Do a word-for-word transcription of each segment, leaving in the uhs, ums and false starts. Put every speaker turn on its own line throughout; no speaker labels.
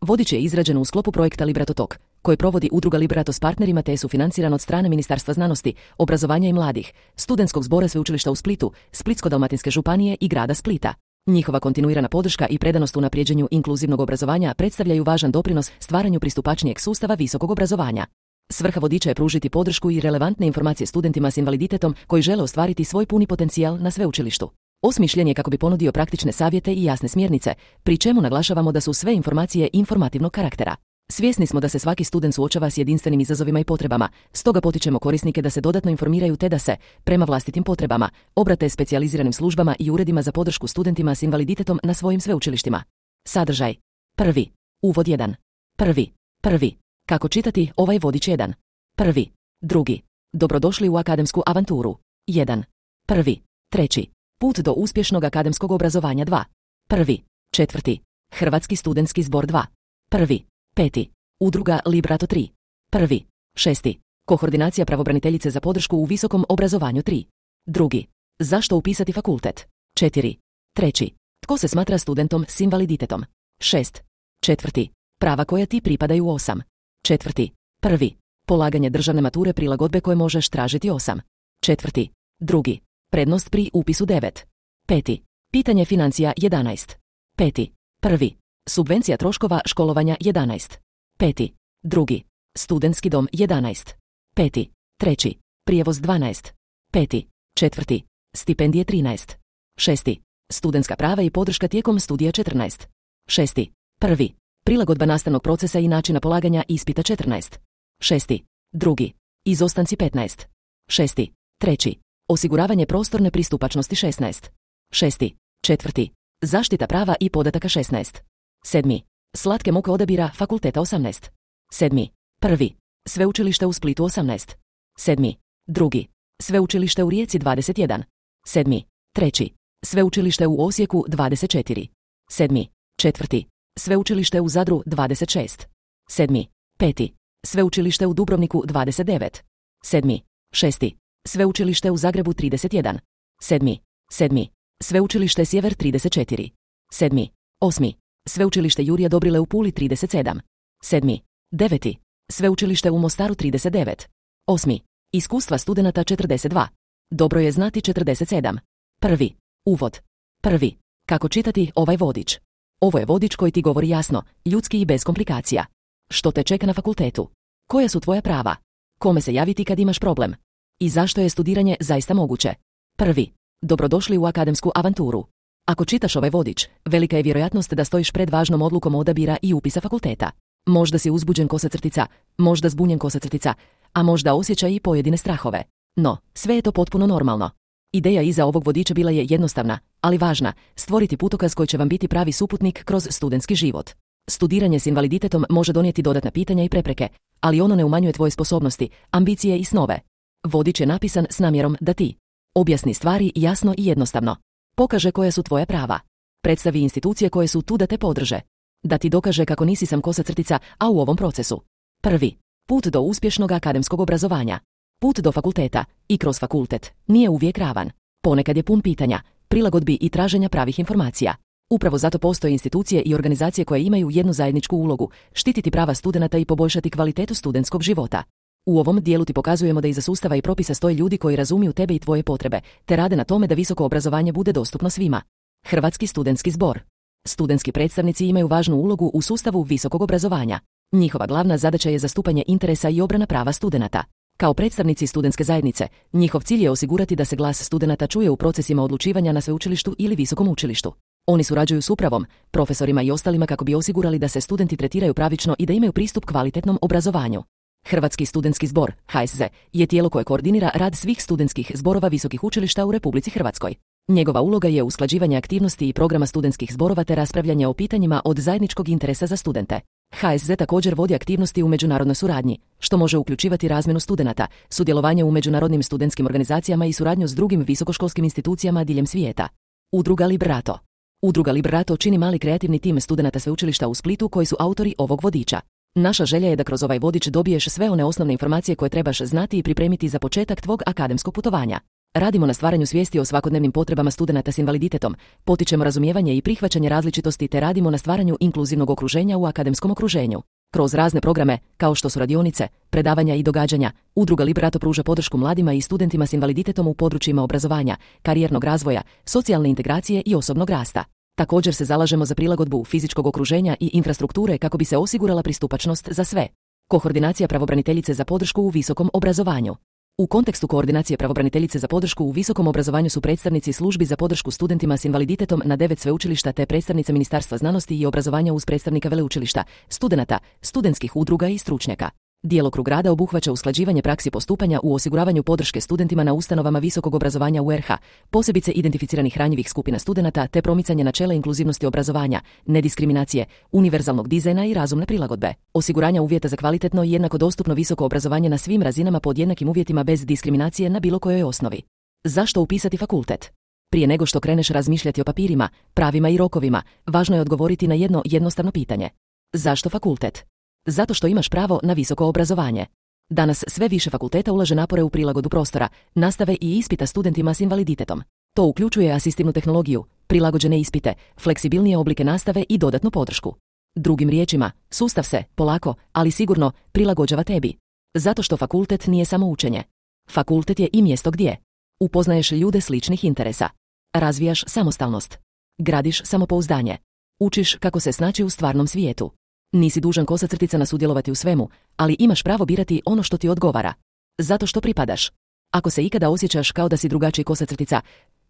Vodič je izrađen u sklopu projekta Liberato Tok, koji provodi udruga Liberato s partnerima te je sufinanciran od strane Ministarstva znanosti, obrazovanja i mladih, Studentskog zbora Sveučilišta u Splitu, Splitsko-dalmatinske županije i grada Splita. Njihova kontinuirana podrška i predanost u unaprijeđenju inkluzivnog obrazovanja predstavljaju važan doprinos stvaranju pristupačnijeg sustava visokog obrazovanja. Svrha vodiča je pružiti podršku i relevantne informacije studentima s invaliditetom koji žele ostvariti svoj puni potencijal na sveučilištu. Osmišljen je kako bi ponudio praktične savjete i jasne smjernice, pri čemu naglašavamo da su sve informacije informativnog karaktera. Svjesni smo da se svaki student suočava s jedinstvenim izazovima i potrebama, stoga potičemo korisnike da se dodatno informiraju te da se, prema vlastitim potrebama, obrate specijaliziranim službama i uredima za podršku studentima s invaliditetom na svojim sveučilištima. Sadržaj. Prvi. Uvod jedan. Prvi. Prvi. Kako čitati ovaj vodič jedan. Prvi. Drugi. Dobrodošli u akademsku avanturu. jedan. Prvi. Treći. Put do uspješnog akademskog obrazovanja dva. Prvi. Četvrti. Hrvatski studentski zbor dva. Prvi. Peti. Udruga Liberato tri. Prvi. Šesti. Koordinacija pravobraniteljice za podršku u visokom obrazovanju tri. Drugi. Zašto upisati fakultet? četiri. Treći. Tko se smatra studentom s invaliditetom? šest. Četvrti. Prava koja ti pripadaju osam. Četvrti. Prvi. Polaganje državne mature prilagodbe koje možeš tražiti osam. Četvrti. Drugi. Prednost pri upisu devet. Peti. Pitanje financija jedanaest. Peti. Prvi. Subvencija troškova školovanja jedanaest. Peti. Drugi. Studentski dom jedanaest. Peti. Treći. Prijevoz dvanaest. Peti. Četvrti. Stipendije trinaest. Šesti. Studentska prava i podrška tijekom studija četrnaest. Šesti. Prvi. Prilagodba nastavnog procesa i načina polaganja ispita četrnaest. Šesti. Drugi. Izostanci petnaest. Šesti. Treći. Osiguravanje prostorne pristupačnosti šesnaest. Šesti. Četvrti. Zaštita prava i podataka šesnaest. Sedmi. Slatke muke odabira fakulteta osamnaest. Sedmi. Prvi. Sveučilište u Splitu osamnaest. Sedmi. Drugi. Sveučilište u Rijeci dvadeset jedan. Sedmi. Treći. Sveučilište u Osijeku dvadeset četiri. Sedmi. Četvrti. Sveučilište u Zadru dvadeset šest. Sedmi. Peti. Sveučilište u Dubrovniku dvadeset devet. Sedmi. Šesti. Sveučilište u Zagrebu trideset jedan. Sedmi. Sedmi. Sveučilište Sjever trideset četiri. Sedmi. Osmi. Sveučilište Jurija Dobrile u Puli trideset sedam. Sedmi. Deveti. Sveučilište u Mostaru trideset devet. Osmi. Iskustva studenata četrdeset dva. Dobro je znati četrdeset sedam. Prvi. Uvod. Prvi. Kako čitati ovaj vodič? Ovo je vodič koji ti govori jasno, ljudski i bez komplikacija. Što te čeka na fakultetu? Koja su tvoja prava? Kome se javiti kad imaš problem? I zašto je studiranje zaista moguće? Prvi. Dobrodošli u akademsku avanturu. Ako čitaš ovaj vodič, velika je vjerojatnost da stojiš pred važnom odlukom odabira i upisa fakulteta. Možda si uzbuđen kosa crtica, možda zbunjen kosa crtica, a možda osjeća i pojedine strahove. No, sve je to potpuno normalno. Ideja iza ovog vodiča bila je jednostavna, ali važna, stvoriti putokaz koji će vam biti pravi suputnik kroz studentski život. Studiranje s invaliditetom može donijeti dodatna pitanja i prepreke, ali ono ne umanjuje tvoje sposobnosti, ambicije i snove. Vodič je napisan s namjerom da ti objasni stvari jasno i jednostavno. Pokaže koja su tvoja prava. Predstavi institucije koje su tu da te podrže. Da ti dokaže kako nisi sam kosa crtica, a u ovom procesu. Prvi. Put do uspješnog akademskog obrazovanja. Put do fakulteta i kroz fakultet nije uvijek ravan. Ponekad je pun pitanja, prilagodbi i traženja pravih informacija. Upravo zato postoje institucije i organizacije koje imaju jednu zajedničku ulogu, štititi prava studenata i poboljšati kvalitetu studentskog života. U ovom dijelu ti pokazujemo da iza sustava i propisa stoje ljudi koji razumiju tebe i tvoje potrebe, te rade na tome da visoko obrazovanje bude dostupno svima. Hrvatski studentski zbor. Studentski predstavnici imaju važnu ulogu u sustavu visokog obrazovanja. Njihova glavna zadaća je zastupanje interesa i obrana prava studenata. Kao predstavnici studentske zajednice, njihov cilj je osigurati da se glas studenata čuje u procesima odlučivanja na sveučilištu ili visokom učilištu. Oni surađuju s upravom, profesorima i ostalima kako bi osigurali da se studenti tretiraju pravično i da imaju pristup kvalitetnom obrazovanju. Hrvatski studentski zbor, H S Z, je tijelo koje koordinira rad svih studentskih zborova visokih učilišta u Republici Hrvatskoj. Njegova uloga je usklađivanje aktivnosti i programa studentskih zborova te raspravljanje o pitanjima od zajedničkog interesa za studente. H S Z također vodi aktivnosti u međunarodnoj suradnji, što može uključivati razmjenu studenata, sudjelovanje u međunarodnim studentskim organizacijama i suradnju s drugim visokoškolskim institucijama diljem svijeta. Udruga Liberato. Udruga Liberato čini mali kreativni tim studenata sveučilišta u Splitu koji su autori ovog vodiča. Naša želja je da kroz ovaj vodič dobiješ sve one osnovne informacije koje trebaš znati i pripremiti za početak tvog akademskog putovanja. Radimo na stvaranju svijesti o svakodnevnim potrebama studenata s invaliditetom, potičemo razumijevanje i prihvaćanje različitosti te radimo na stvaranju inkluzivnog okruženja u akademskom okruženju. Kroz razne programe, kao što su radionice, predavanja i događanja, Udruga Liberato pruža podršku mladima i studentima s invaliditetom u područjima obrazovanja, karijernog razvoja, socijalne integracije i osobnog rasta. Također se zalažemo za prilagodbu fizičkog okruženja i infrastrukture kako bi se osigurala pristupačnost za sve. Koordinacija pravobraniteljice za podršku u visokom obrazovanju. U kontekstu koordinacije pravobraniteljice za podršku u visokom obrazovanju su predstavnici službi za podršku studentima s invaliditetom na devet sveučilišta te predstavnice Ministarstva znanosti i obrazovanja uz predstavnika veleučilišta, studenata, studentskih udruga i stručnjaka. Djelokrug rada obuhvaća usklađivanje praksi postupanja u osiguravanju podrške studentima na ustanovama visokog obrazovanja u R H, posebice identificiranih ranjivih skupina studenata te promicanje načela inkluzivnosti obrazovanja, nediskriminacije, univerzalnog dizajna i razumne prilagodbe. Osiguranja uvjeta za kvalitetno i jednako dostupno visoko obrazovanje na svim razinama pod jednakim uvjetima bez diskriminacije na bilo kojoj osnovi. Zašto upisati fakultet? Prije nego što kreneš razmišljati o papirima, pravima i rokovima, važno je odgovoriti na jedno jednostavno pitanje. Zašto fakultet? Zato što imaš pravo na visoko obrazovanje. Danas sve više fakulteta ulaže napore u prilagodu prostora, nastave i ispita studentima s invaliditetom. To uključuje asistivnu tehnologiju, prilagođene ispite, fleksibilnije oblike nastave i dodatnu podršku. Drugim riječima, sustav se, polako, ali sigurno, prilagođava tebi. Zato što fakultet nije samo učenje. Fakultet je i mjesto gdje upoznaješ ljude sličnih interesa. Razvijaš samostalnost. Gradiš samopouzdanje. Učiš kako se snaći u stvarnom svijetu. Nisi dužan kosacrticama sudjelovati u svemu, ali imaš pravo birati ono što ti odgovara. Zato što pripadaš. Ako se ikada osjećaš kao da si drugačiji kosacrtica,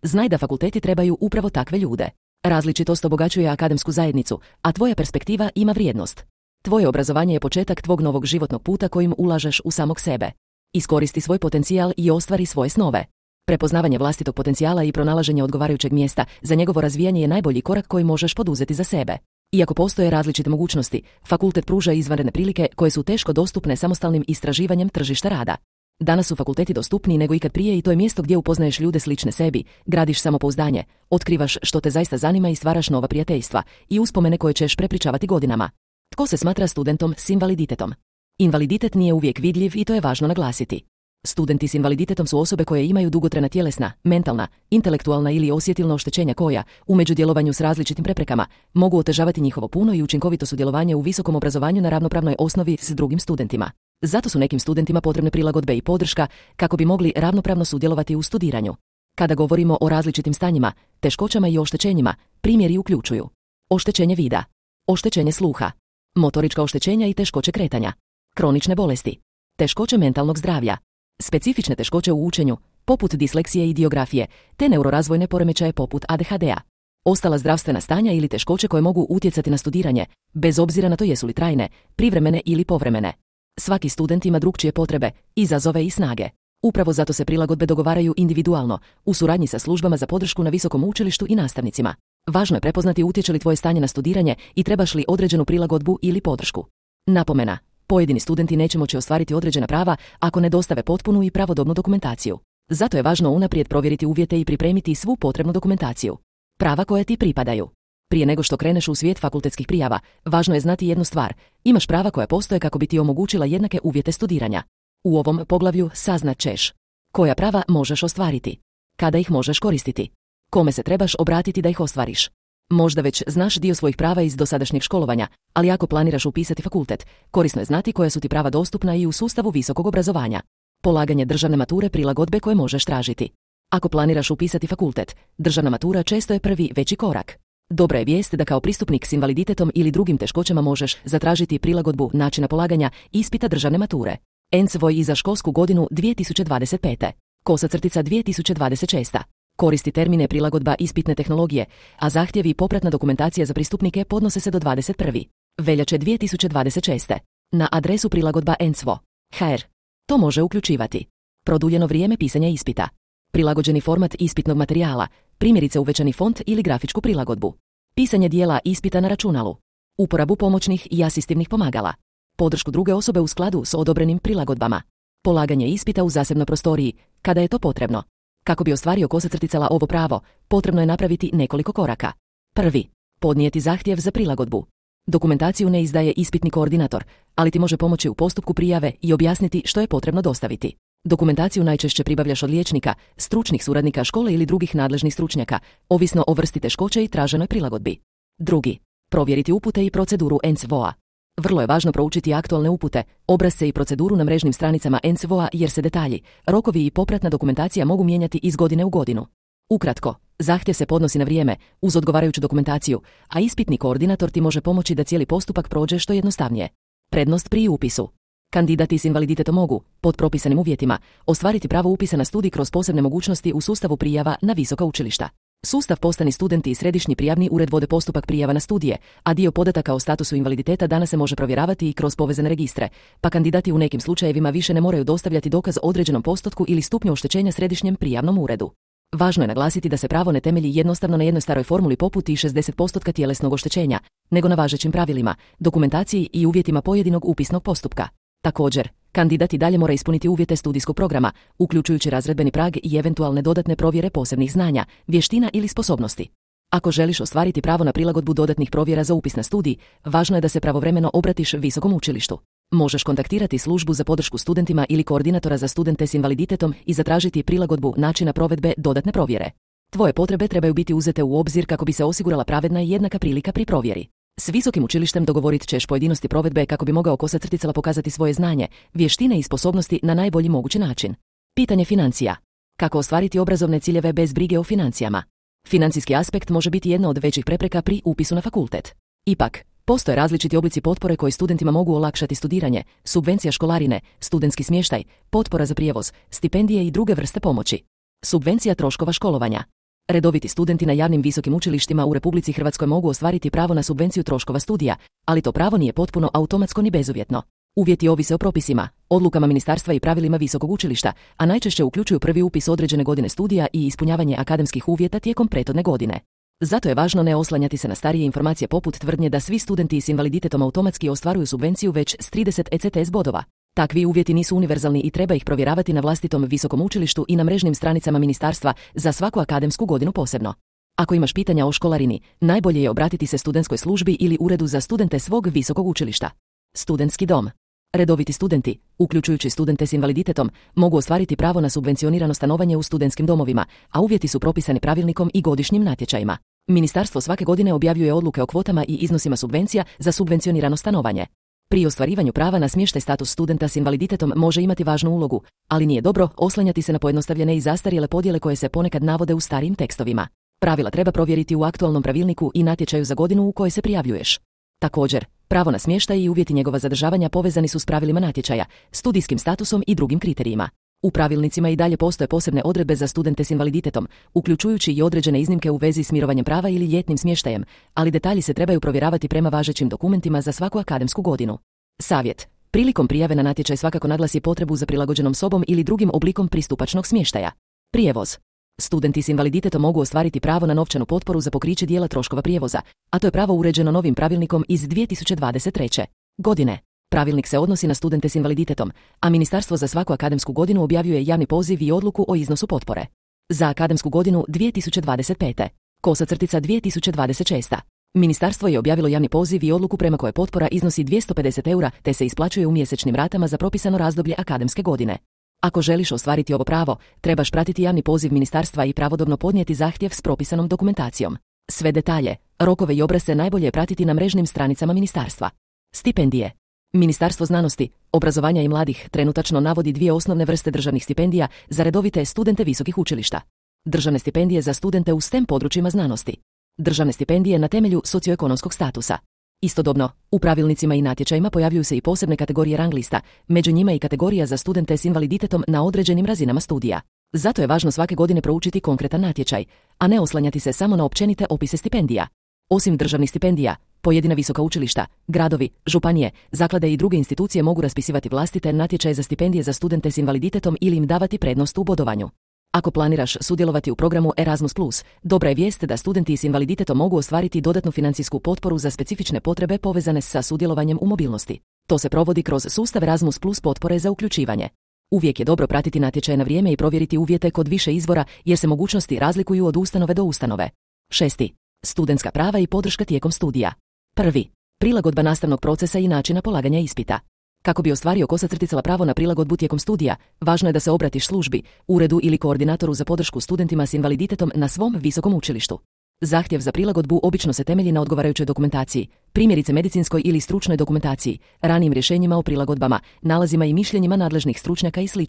znaj da fakulteti trebaju upravo takve ljude. Različitost obogaćuje akademsku zajednicu, a tvoja perspektiva ima vrijednost. Tvoje obrazovanje je početak tvog novog životnog puta kojim ulažeš u samog sebe. Iskoristi svoj potencijal i ostvari svoje snove. Prepoznavanje vlastitog potencijala i pronalaženje odgovarajućeg mjesta za njegovo razvijanje je najbolji korak koji možeš poduzeti za sebe. Iako postoje različite mogućnosti, fakultet pruža izvanredne prilike koje su teško dostupne samostalnim istraživanjem tržišta rada. Danas su fakulteti dostupniji nego ikad prije i to je mjesto gdje upoznaješ ljude slične sebi, gradiš samopouzdanje, otkrivaš što te zaista zanima i stvaraš nova prijateljstva i uspomene koje ćeš prepričavati godinama. Tko se smatra studentom s invaliditetom? Invaliditet nije uvijek vidljiv i to je važno naglasiti. Studenti s invaliditetom su osobe koje imaju dugotrajna tjelesna, mentalna, intelektualna ili osjetilna oštećenja koja, u međudjelovanju s različitim preprekama, mogu otežavati njihovo puno i učinkovito sudjelovanje u visokom obrazovanju na ravnopravnoj osnovi s drugim studentima. Zato su nekim studentima potrebne prilagodbe i podrška kako bi mogli ravnopravno sudjelovati u studiranju. Kada govorimo o različitim stanjima, teškoćama i oštećenjima, primjeri uključuju oštećenje vida, oštećenje sluha, motorička oštećenja i teškoće kretanja, kronične bolesti, teškoće mentalnog zdravlja, specifične teškoće u učenju, poput disleksije i diografije, te neurorazvojne poremećaje poput A D H D-a. Ostala zdravstvena stanja ili teškoće koje mogu utjecati na studiranje, bez obzira na to jesu li trajne, privremene ili povremene. Svaki student ima drukčije potrebe, izazove i snage. Upravo zato se prilagodbe dogovaraju individualno, u suradnji sa službama za podršku na visokom učilištu i nastavnicima. Važno je prepoznati utječe li tvoje stanje na studiranje i trebaš li određenu prilagodbu ili podršku. Napomena. Pojedini studenti neće moći ostvariti određena prava ako ne dostave potpunu i pravodobnu dokumentaciju. Zato je važno unaprijed provjeriti uvjete i pripremiti svu potrebnu dokumentaciju. Prava koja ti pripadaju. Prije nego što kreneš u svijet fakultetskih prijava, važno je znati jednu stvar. Imaš prava koja postoje kako bi ti omogućila jednake uvjete studiranja. U ovom poglavlju saznat ćeš koja prava možeš ostvariti, kada ih možeš koristiti, kome se trebaš obratiti da ih ostvariš. Možda već znaš dio svojih prava iz dosadašnjeg školovanja, ali ako planiraš upisati fakultet, korisno je znati koja su ti prava dostupna i u sustavu visokog obrazovanja. Polaganje državne mature, prilagodbe koje možeš tražiti. Ako planiraš upisati fakultet, državna matura često je prvi veći korak. Dobra je vijest da kao pristupnik s invaliditetom ili drugim teškoćama možeš zatražiti prilagodbu načina polaganja ispita državne mature. E N C V O I za školsku godinu dvije tisuće dvadeset pete. Kosa crtica dvije tisuće dvadeset šeste. Koristi termine prilagodba ispitne tehnologije, a zahtjevi i popratna dokumentacija za pristupnike podnose se do dvadeset prve veljače dvije tisuće dvadeset šeste. Na adresu prilagodba E N C V O H R. To može uključivati produljeno vrijeme pisanja ispita, prilagođeni format ispitnog materijala, primjerice uvećani font ili grafičku prilagodbu, pisanje dijela ispita na računalu, uporabu pomoćnih i asistivnih pomagala, podršku druge osobe u skladu s odobrenim prilagodbama, polaganje ispita u zasebnoj prostoriji, kada je to potrebno. Kako bi ostvario kosacrticala ovo pravo, potrebno je napraviti nekoliko koraka. Prvi. Podnijeti zahtjev za prilagodbu. Dokumentaciju ne izdaje ispitni koordinator, ali ti može pomoći u postupku prijave i objasniti što je potrebno dostaviti. Dokumentaciju najčešće pribavljaš od liječnika, stručnih suradnika škole ili drugih nadležnih stručnjaka, ovisno o vrsti teškoće i traženoj prilagodbi. Drugi. Provjeriti upute i proceduru N C V O A. Vrlo je važno proučiti aktualne upute, obrasce i proceduru na mrežnim stranicama N C V O A jer se detalji, rokovi i popratna dokumentacija mogu mijenjati iz godine u godinu. Ukratko, zahtjev se podnosi na vrijeme, uz odgovarajuću dokumentaciju, a ispitni koordinator ti može pomoći da cijeli postupak prođe što jednostavnije. Prednost pri upisu. Kandidati s invaliditetom mogu, pod propisanim uvjetima, ostvariti pravo upisa na studij kroz posebne mogućnosti u sustavu prijava na visoka učilišta. Sustav Postani studenti i Središnji prijavni ured vode postupak prijava na studije, a dio podataka o statusu invaliditeta danas se može provjeravati i kroz povezane registre, pa kandidati u nekim slučajevima više ne moraju dostavljati dokaz o određenom postotku ili stupnju oštećenja Središnjem prijavnom uredu. Važno je naglasiti da se pravo ne temelji jednostavno na jednoj staroj formuli poput i šezdeset posto tjelesnog oštećenja, nego na važećim pravilima, dokumentaciji i uvjetima pojedinog upisnog postupka. Također, kandidat i dalje mora ispuniti uvjete studijskog programa, uključujući razredbeni prag i eventualne dodatne provjere posebnih znanja, vještina ili sposobnosti. Ako želiš ostvariti pravo na prilagodbu dodatnih provjera za upis na studij, važno je da se pravovremeno obratiš visokom učilištu. Možeš kontaktirati službu za podršku studentima ili koordinatora za studente s invaliditetom i zatražiti prilagodbu načina provedbe dodatne provjere. Tvoje potrebe trebaju biti uzete u obzir kako bi se osigurala pravedna i jednaka prilika pri provjeri. S visokim učilištem dogovorit ćeš pojedinosti provedbe kako bi mogao kosa crticala pokazati svoje znanje, vještine i sposobnosti na najbolji mogući način. Pitanje financija. Kako ostvariti obrazovne ciljeve bez brige o financijama? Financijski aspekt može biti jedna od većih prepreka pri upisu na fakultet. Ipak, postoje različiti oblici potpore koji studentima mogu olakšati studiranje, subvencija školarine, studentski smještaj, potpora za prijevoz, stipendije i druge vrste pomoći. Subvencija troškova školovanja. Redoviti studenti na javnim visokim učilištima u Republici Hrvatskoj mogu ostvariti pravo na subvenciju troškova studija, ali to pravo nije potpuno automatsko ni bezuvjetno. Uvjeti ovise o propisima, odlukama ministarstva i pravilima visokog učilišta, a najčešće uključuju prvi upis određene godine studija i ispunjavanje akademskih uvjeta tijekom prethodne godine. Zato je važno ne oslanjati se na starije informacije poput tvrdnje da svi studenti s invaliditetom automatski ostvaruju subvenciju već s trideset E C T S bodova. Takvi uvjeti nisu univerzalni i treba ih provjeravati na vlastitom visokom učilištu i na mrežnim stranicama ministarstva za svaku akademsku godinu posebno. Ako imaš pitanja o školarini, najbolje je obratiti se studentskoj službi ili uredu za studente svog visokog učilišta. Studentski dom. Redoviti studenti, uključujući studente s invaliditetom, mogu ostvariti pravo na subvencionirano stanovanje u studentskim domovima, a uvjeti su propisani pravilnikom i godišnjim natječajima. Ministarstvo svake godine objavljuje odluke o kvotama i iznosima subvencija za subvencionirano stanovanje. Pri ostvarivanju prava na smještaj status studenta s invaliditetom može imati važnu ulogu, ali nije dobro oslanjati se na pojednostavljene i zastarjele podjele koje se ponekad navode u starijim tekstovima. Pravila treba provjeriti u aktualnom pravilniku i natječaju za godinu u kojoj se prijavljuješ. Također, pravo na smještaj i uvjeti njegova zadržavanja povezani su s pravilima natječaja, studijskim statusom i drugim kriterijima. U pravilnicima i dalje postoje posebne odredbe za studente s invaliditetom, uključujući i određene iznimke u vezi s mirovanjem prava ili ljetnim smještajem, ali detalji se trebaju provjeravati prema važećim dokumentima za svaku akademsku godinu. Savjet. Prilikom prijave na natječaj svakako naglasi potrebu za prilagođenom sobom ili drugim oblikom pristupačnog smještaja. Prijevoz. Studenti s invaliditetom mogu ostvariti pravo na novčanu potporu za pokriće dijela troškova prijevoza, a to je pravo uređeno novim pravilnikom iz dvije tisuće dvadeset treće godine. Pravilnik se odnosi na studente s invaliditetom, a ministarstvo za svaku akademsku godinu objavljuje javni poziv i odluku o iznosu potpore. Za akademsku godinu dvije tisuće dvadeset pete kosa crtica dvije tisuće dvadeset šeste Ministarstvo je objavilo javni poziv i odluku prema kojoj potpora iznosi dvjesto pedeset eura te se isplaćuje u mjesečnim ratama za propisano razdoblje akademske godine. Ako želiš ostvariti ovo pravo, trebaš pratiti javni poziv ministarstva i pravodobno podnijeti zahtjev s propisanom dokumentacijom. Sve detalje, rokove i obrasce najbolje je pratiti na mrežnim stranicama ministarstva. Stipendije. Ministarstvo znanosti, obrazovanja i mladih trenutačno navodi dvije osnovne vrste državnih stipendija za redovite studente visokih učilišta. Državne stipendije za studente u STEM područjima znanosti. Državne stipendije na temelju socioekonomskog statusa. Istodobno, u pravilnicima i natječajima pojavljuju se i posebne kategorije rang lista, među njima i kategorija za studente s invaliditetom na određenim razinama studija. Zato je važno svake godine proučiti konkretan natječaj, a ne oslanjati se samo na općenite opise stipendija. Osim državnih stipendija, pojedina visoka učilišta, gradovi, županije, zaklade i druge institucije mogu raspisivati vlastite natječaje za stipendije za studente s invaliditetom ili im davati prednost u bodovanju. Ako planiraš sudjelovati u programu Erasmus plus, dobra je vijest da studenti s invaliditetom mogu ostvariti dodatnu financijsku potporu za specifične potrebe povezane sa sudjelovanjem u mobilnosti. To se provodi kroz sustav Erasmus plus potpore za uključivanje. Uvijek je dobro pratiti natječaj na vrijeme i provjeriti uvjete kod više izvora jer se mogućnosti razlikuju od ustanove do ustanove. Šesti. Studentska prava i podrška tijekom studija. Prvi. Prilagodba nastavnog procesa i načina polaganja ispita. Kako bi ostvario kosa crticala pravo na prilagodbu tijekom studija, važno je da se obratiš službi, uredu ili koordinatoru za podršku studentima s invaliditetom na svom visokom učilištu. Zahtjev za prilagodbu obično se temelji na odgovarajućoj dokumentaciji, primjerice medicinskoj ili stručnoj dokumentaciji, ranijim rješenjima o prilagodbama, nalazima i mišljenjima nadležnih stručnjaka i sl.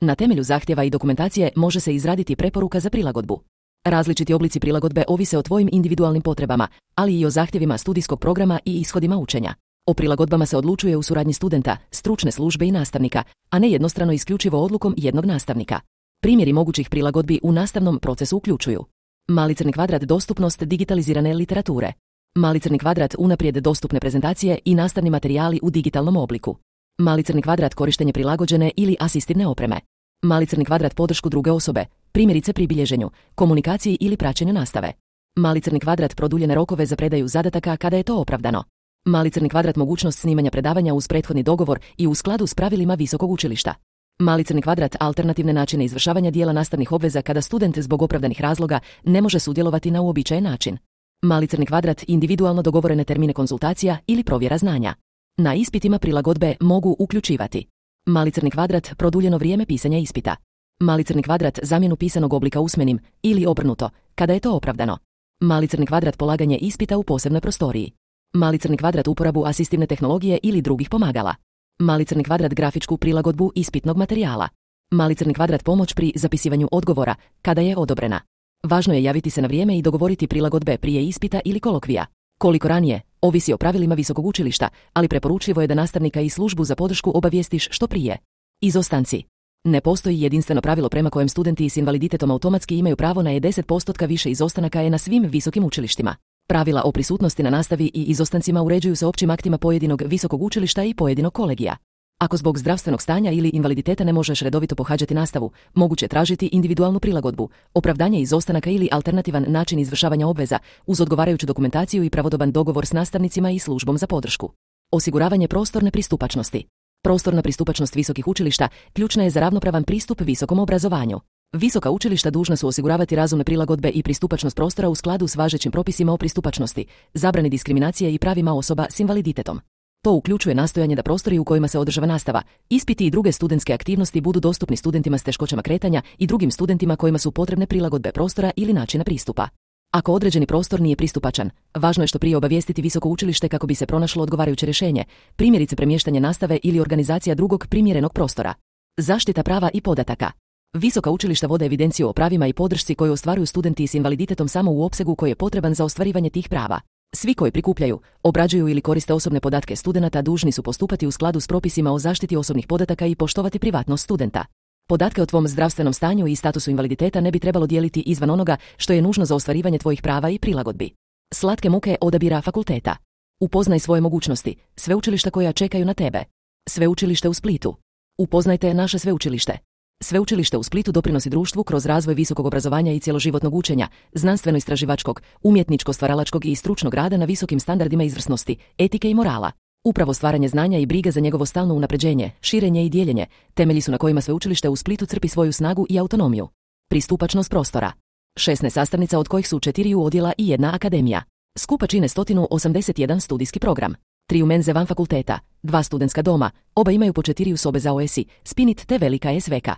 Na temelju zahtjeva i dokumentacije može se izraditi preporuka za prilagodbu. Različiti oblici prilagodbe ovise o tvojim individualnim potrebama, ali i o zahtjevima studijskog programa i ishodima učenja. O prilagodbama se odlučuje u suradnji studenta, stručne službe i nastavnika, a ne jednostrano isključivo odlukom jednog nastavnika. Primjeri mogućih prilagodbi u nastavnom procesu uključuju: mali crni kvadrat dostupnost digitalizirane literature, mali crni kvadrat unaprijed dostupne prezentacije i nastavni materijali u digitalnom obliku, mali crni kvadrat korištenje prilagođene ili asistivne opreme, mali crni kvadrat podršku druge osobe, primjerice pri bilježenju, komunikaciji ili praćenju nastave, mali crni kvadrat produljene rokove za predaju zadataka kada je to opravdano, mali crni kvadrat mogućnost snimanja predavanja uz prethodni dogovor i u skladu s pravilima visokog učilišta, mali crni kvadrat alternativne načine izvršavanja dijela nastavnih obveza kada student zbog opravdanih razloga ne može sudjelovati na uobičajen način, mali crni kvadrat individualno dogovorene termine konzultacija ili provjera znanja. Na ispitima prilagodbe mogu uključivati: mali crni kvadrat produljeno vrijeme pisanja ispita, mali crni kvadrat zamjenu pisanog oblika usmenim ili obrnuto, kada je to opravdano, mali crni kvadrat polaganje ispita u posebnoj prostoriji, mali crni kvadrat uporabu asistivne tehnologije ili drugih pomagala, mali crni kvadrat grafičku prilagodbu ispitnog materijala, mali crni kvadrat pomoć pri zapisivanju odgovora, kada je odobrena. Važno je javiti se na vrijeme i dogovoriti prilagodbe prije ispita ili kolokvija. Koliko ranije, ovisi o pravilima visokog učilišta, ali preporučljivo je da nastavnika i službu za podršku obavijestiš što prije. Izostanci. Ne postoji jedinstveno pravilo prema kojem studenti s invaliditetom automatski imaju pravo na deset posto više izostanaka je na svim visokim učilištima. Pravila o prisutnosti na nastavi i izostancima uređuju se općim aktima pojedinog visokog učilišta i pojedinog kolegija. Ako zbog zdravstvenog stanja ili invaliditeta ne možeš redovito pohađati nastavu, moguće je tražiti individualnu prilagodbu, opravdanje izostanaka ili alternativan način izvršavanja obveza uz odgovarajuću dokumentaciju i pravodoban dogovor s nastavnicima i službom za podršku. Osiguravanje prostorne pristupačnosti. Prostorna pristupačnost visokih učilišta ključna je za ravnopravan pristup visokom obrazovanju. Visoka učilišta dužna su osiguravati razumne prilagodbe i pristupačnost prostora u skladu s važećim propisima o pristupačnosti, zabrani diskriminacije i pravima osoba s invaliditetom. To uključuje nastojanje da prostori u kojima se održava nastava, ispiti i druge studentske aktivnosti budu dostupni studentima s teškoćama kretanja i drugim studentima kojima su potrebne prilagodbe prostora ili načina pristupa. Ako određeni prostor nije pristupačan, važno je što prije obavijestiti visoko učilište kako bi se pronašlo odgovarajuće rješenje, primjerice premještanje nastave ili organizacija drugog primjerenog prostora. Zaštita prava i podataka. Visoka učilišta vode evidenciju o pravima i podršci koju ostvaruju studenti s invaliditetom samo u opsegu koji je potreban za ostvarivanje tih prava. Svi koji prikupljaju, obrađuju ili koriste osobne podatke studenata dužni su postupati u skladu s propisima o zaštiti osobnih podataka i poštovati privatnost studenta. Podatke o tvom zdravstvenom stanju i statusu invaliditeta ne bi trebalo dijeliti izvan onoga što je nužno za ostvarivanje tvojih prava i prilagodbi. Slatke muke odabira fakulteta. Upoznaj svoje mogućnosti, sveučilišta koja čekaju na tebe. Sveučilište u Splitu. Upoznajte naše sveučilište. Sveučilište u Splitu doprinosi društvu kroz razvoj visokog obrazovanja i cjeloživotnog učenja, znanstveno-istraživačkog, umjetničko-stvaralačkog i stručnog rada na visokim standardima izvrsnosti, etike i morala. Upravo stvaranje znanja i briga za njegovo stalno unapređenje, širenje i dijeljenje, temelji su na kojima sveučilište u Splitu crpi svoju snagu i autonomiju. Pristupačnost prostora. šesnaest sastavnica od kojih su četiri odjela i jedna akademija. Skupa čine sto osamdeset jedan studijski program. Tri menze van fakulteta, dva studentska doma, oba imaju po četiri sobe za O S I, Spinit te velika S V K.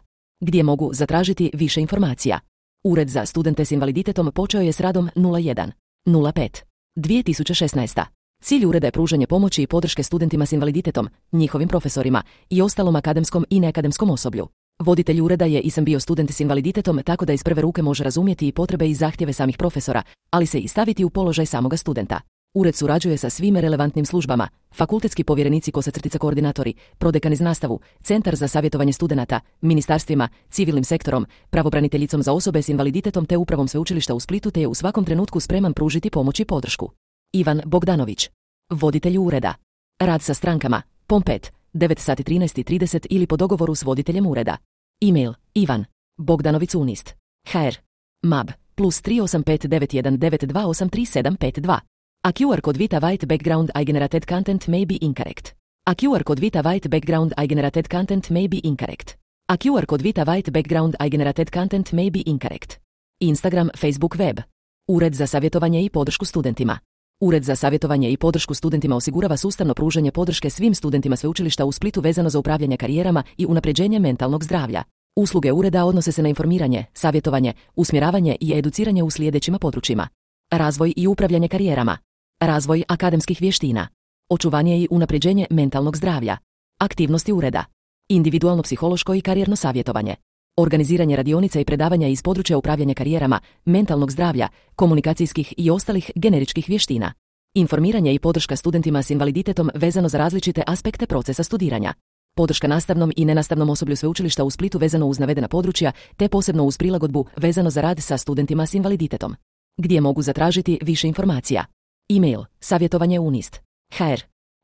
Gdje mogu zatražiti više informacija. Ured za studente s invaliditetom počeo je s radom nula jedan nula pet dvije tisuće šesnaeste. Cilj ureda je pružanje pomoći i podrške studentima s invaliditetom, njihovim profesorima i ostalom akademskom i neakademskom osoblju. Voditelj ureda je i sam bio student s invaliditetom tako da iz prve ruke može razumjeti i potrebe i zahtjeve samih profesora, ali se i staviti u položaj samoga studenta. Ured surađuje sa svim relevantnim službama, fakultetski povjerenici kosa crtica koordinatori, prodekani za nastavu, Centar za savjetovanje studenata, ministarstvima, civilnim sektorom, pravobraniteljicom za osobe s invaliditetom te upravom sveučilišta u Splitu te je u svakom trenutku spreman pružiti pomoć i podršku. Ivan Bogdanović. Voditelj ureda. Rad sa strankama, pom pet, devet sati trinaest trideset ili po dogovoru s voditeljem ureda. E-mail, Ivan. Bogdanović unist. hr. mab, plus tri osam pet devet jedan devet dva osam tri sedam pet dva. A Q R code Vita White Background I generated content may be incorrect. A Q R code Vita White Background I generated content may be incorrect. A Q R code Vita White Background I generated content may be incorrect. Instagram, Facebook, web. Ured za savjetovanje i podršku studentima. Ured za savjetovanje i podršku studentima osigurava sustavno pružanje podrške svim studentima sveučilišta u Splitu vezano za upravljanje karijerama i unapređenje mentalnog zdravlja. Usluge ureda odnose se na informiranje, savjetovanje, usmjeravanje i educiranje u sljedećima područjima: razvoj i upravljanje karijerama, razvoj akademskih vještina, očuvanje i unapređenje mentalnog zdravlja, aktivnosti ureda, individualno psihološko i karijerno savjetovanje, organiziranje radionica i predavanja iz područja upravljanja karijerama, mentalnog zdravlja, komunikacijskih i ostalih generičkih vještina, informiranje i podrška studentima s invaliditetom vezano za različite aspekte procesa studiranja, podrška nastavnom i nenastavnom osoblju sveučilišta u Splitu vezano uz navedena područja, te posebno uz prilagodbu vezano za rad sa studentima s invaliditetom. Gdje mogu zatražiti više informacija? E-mail savjetovanje unist hr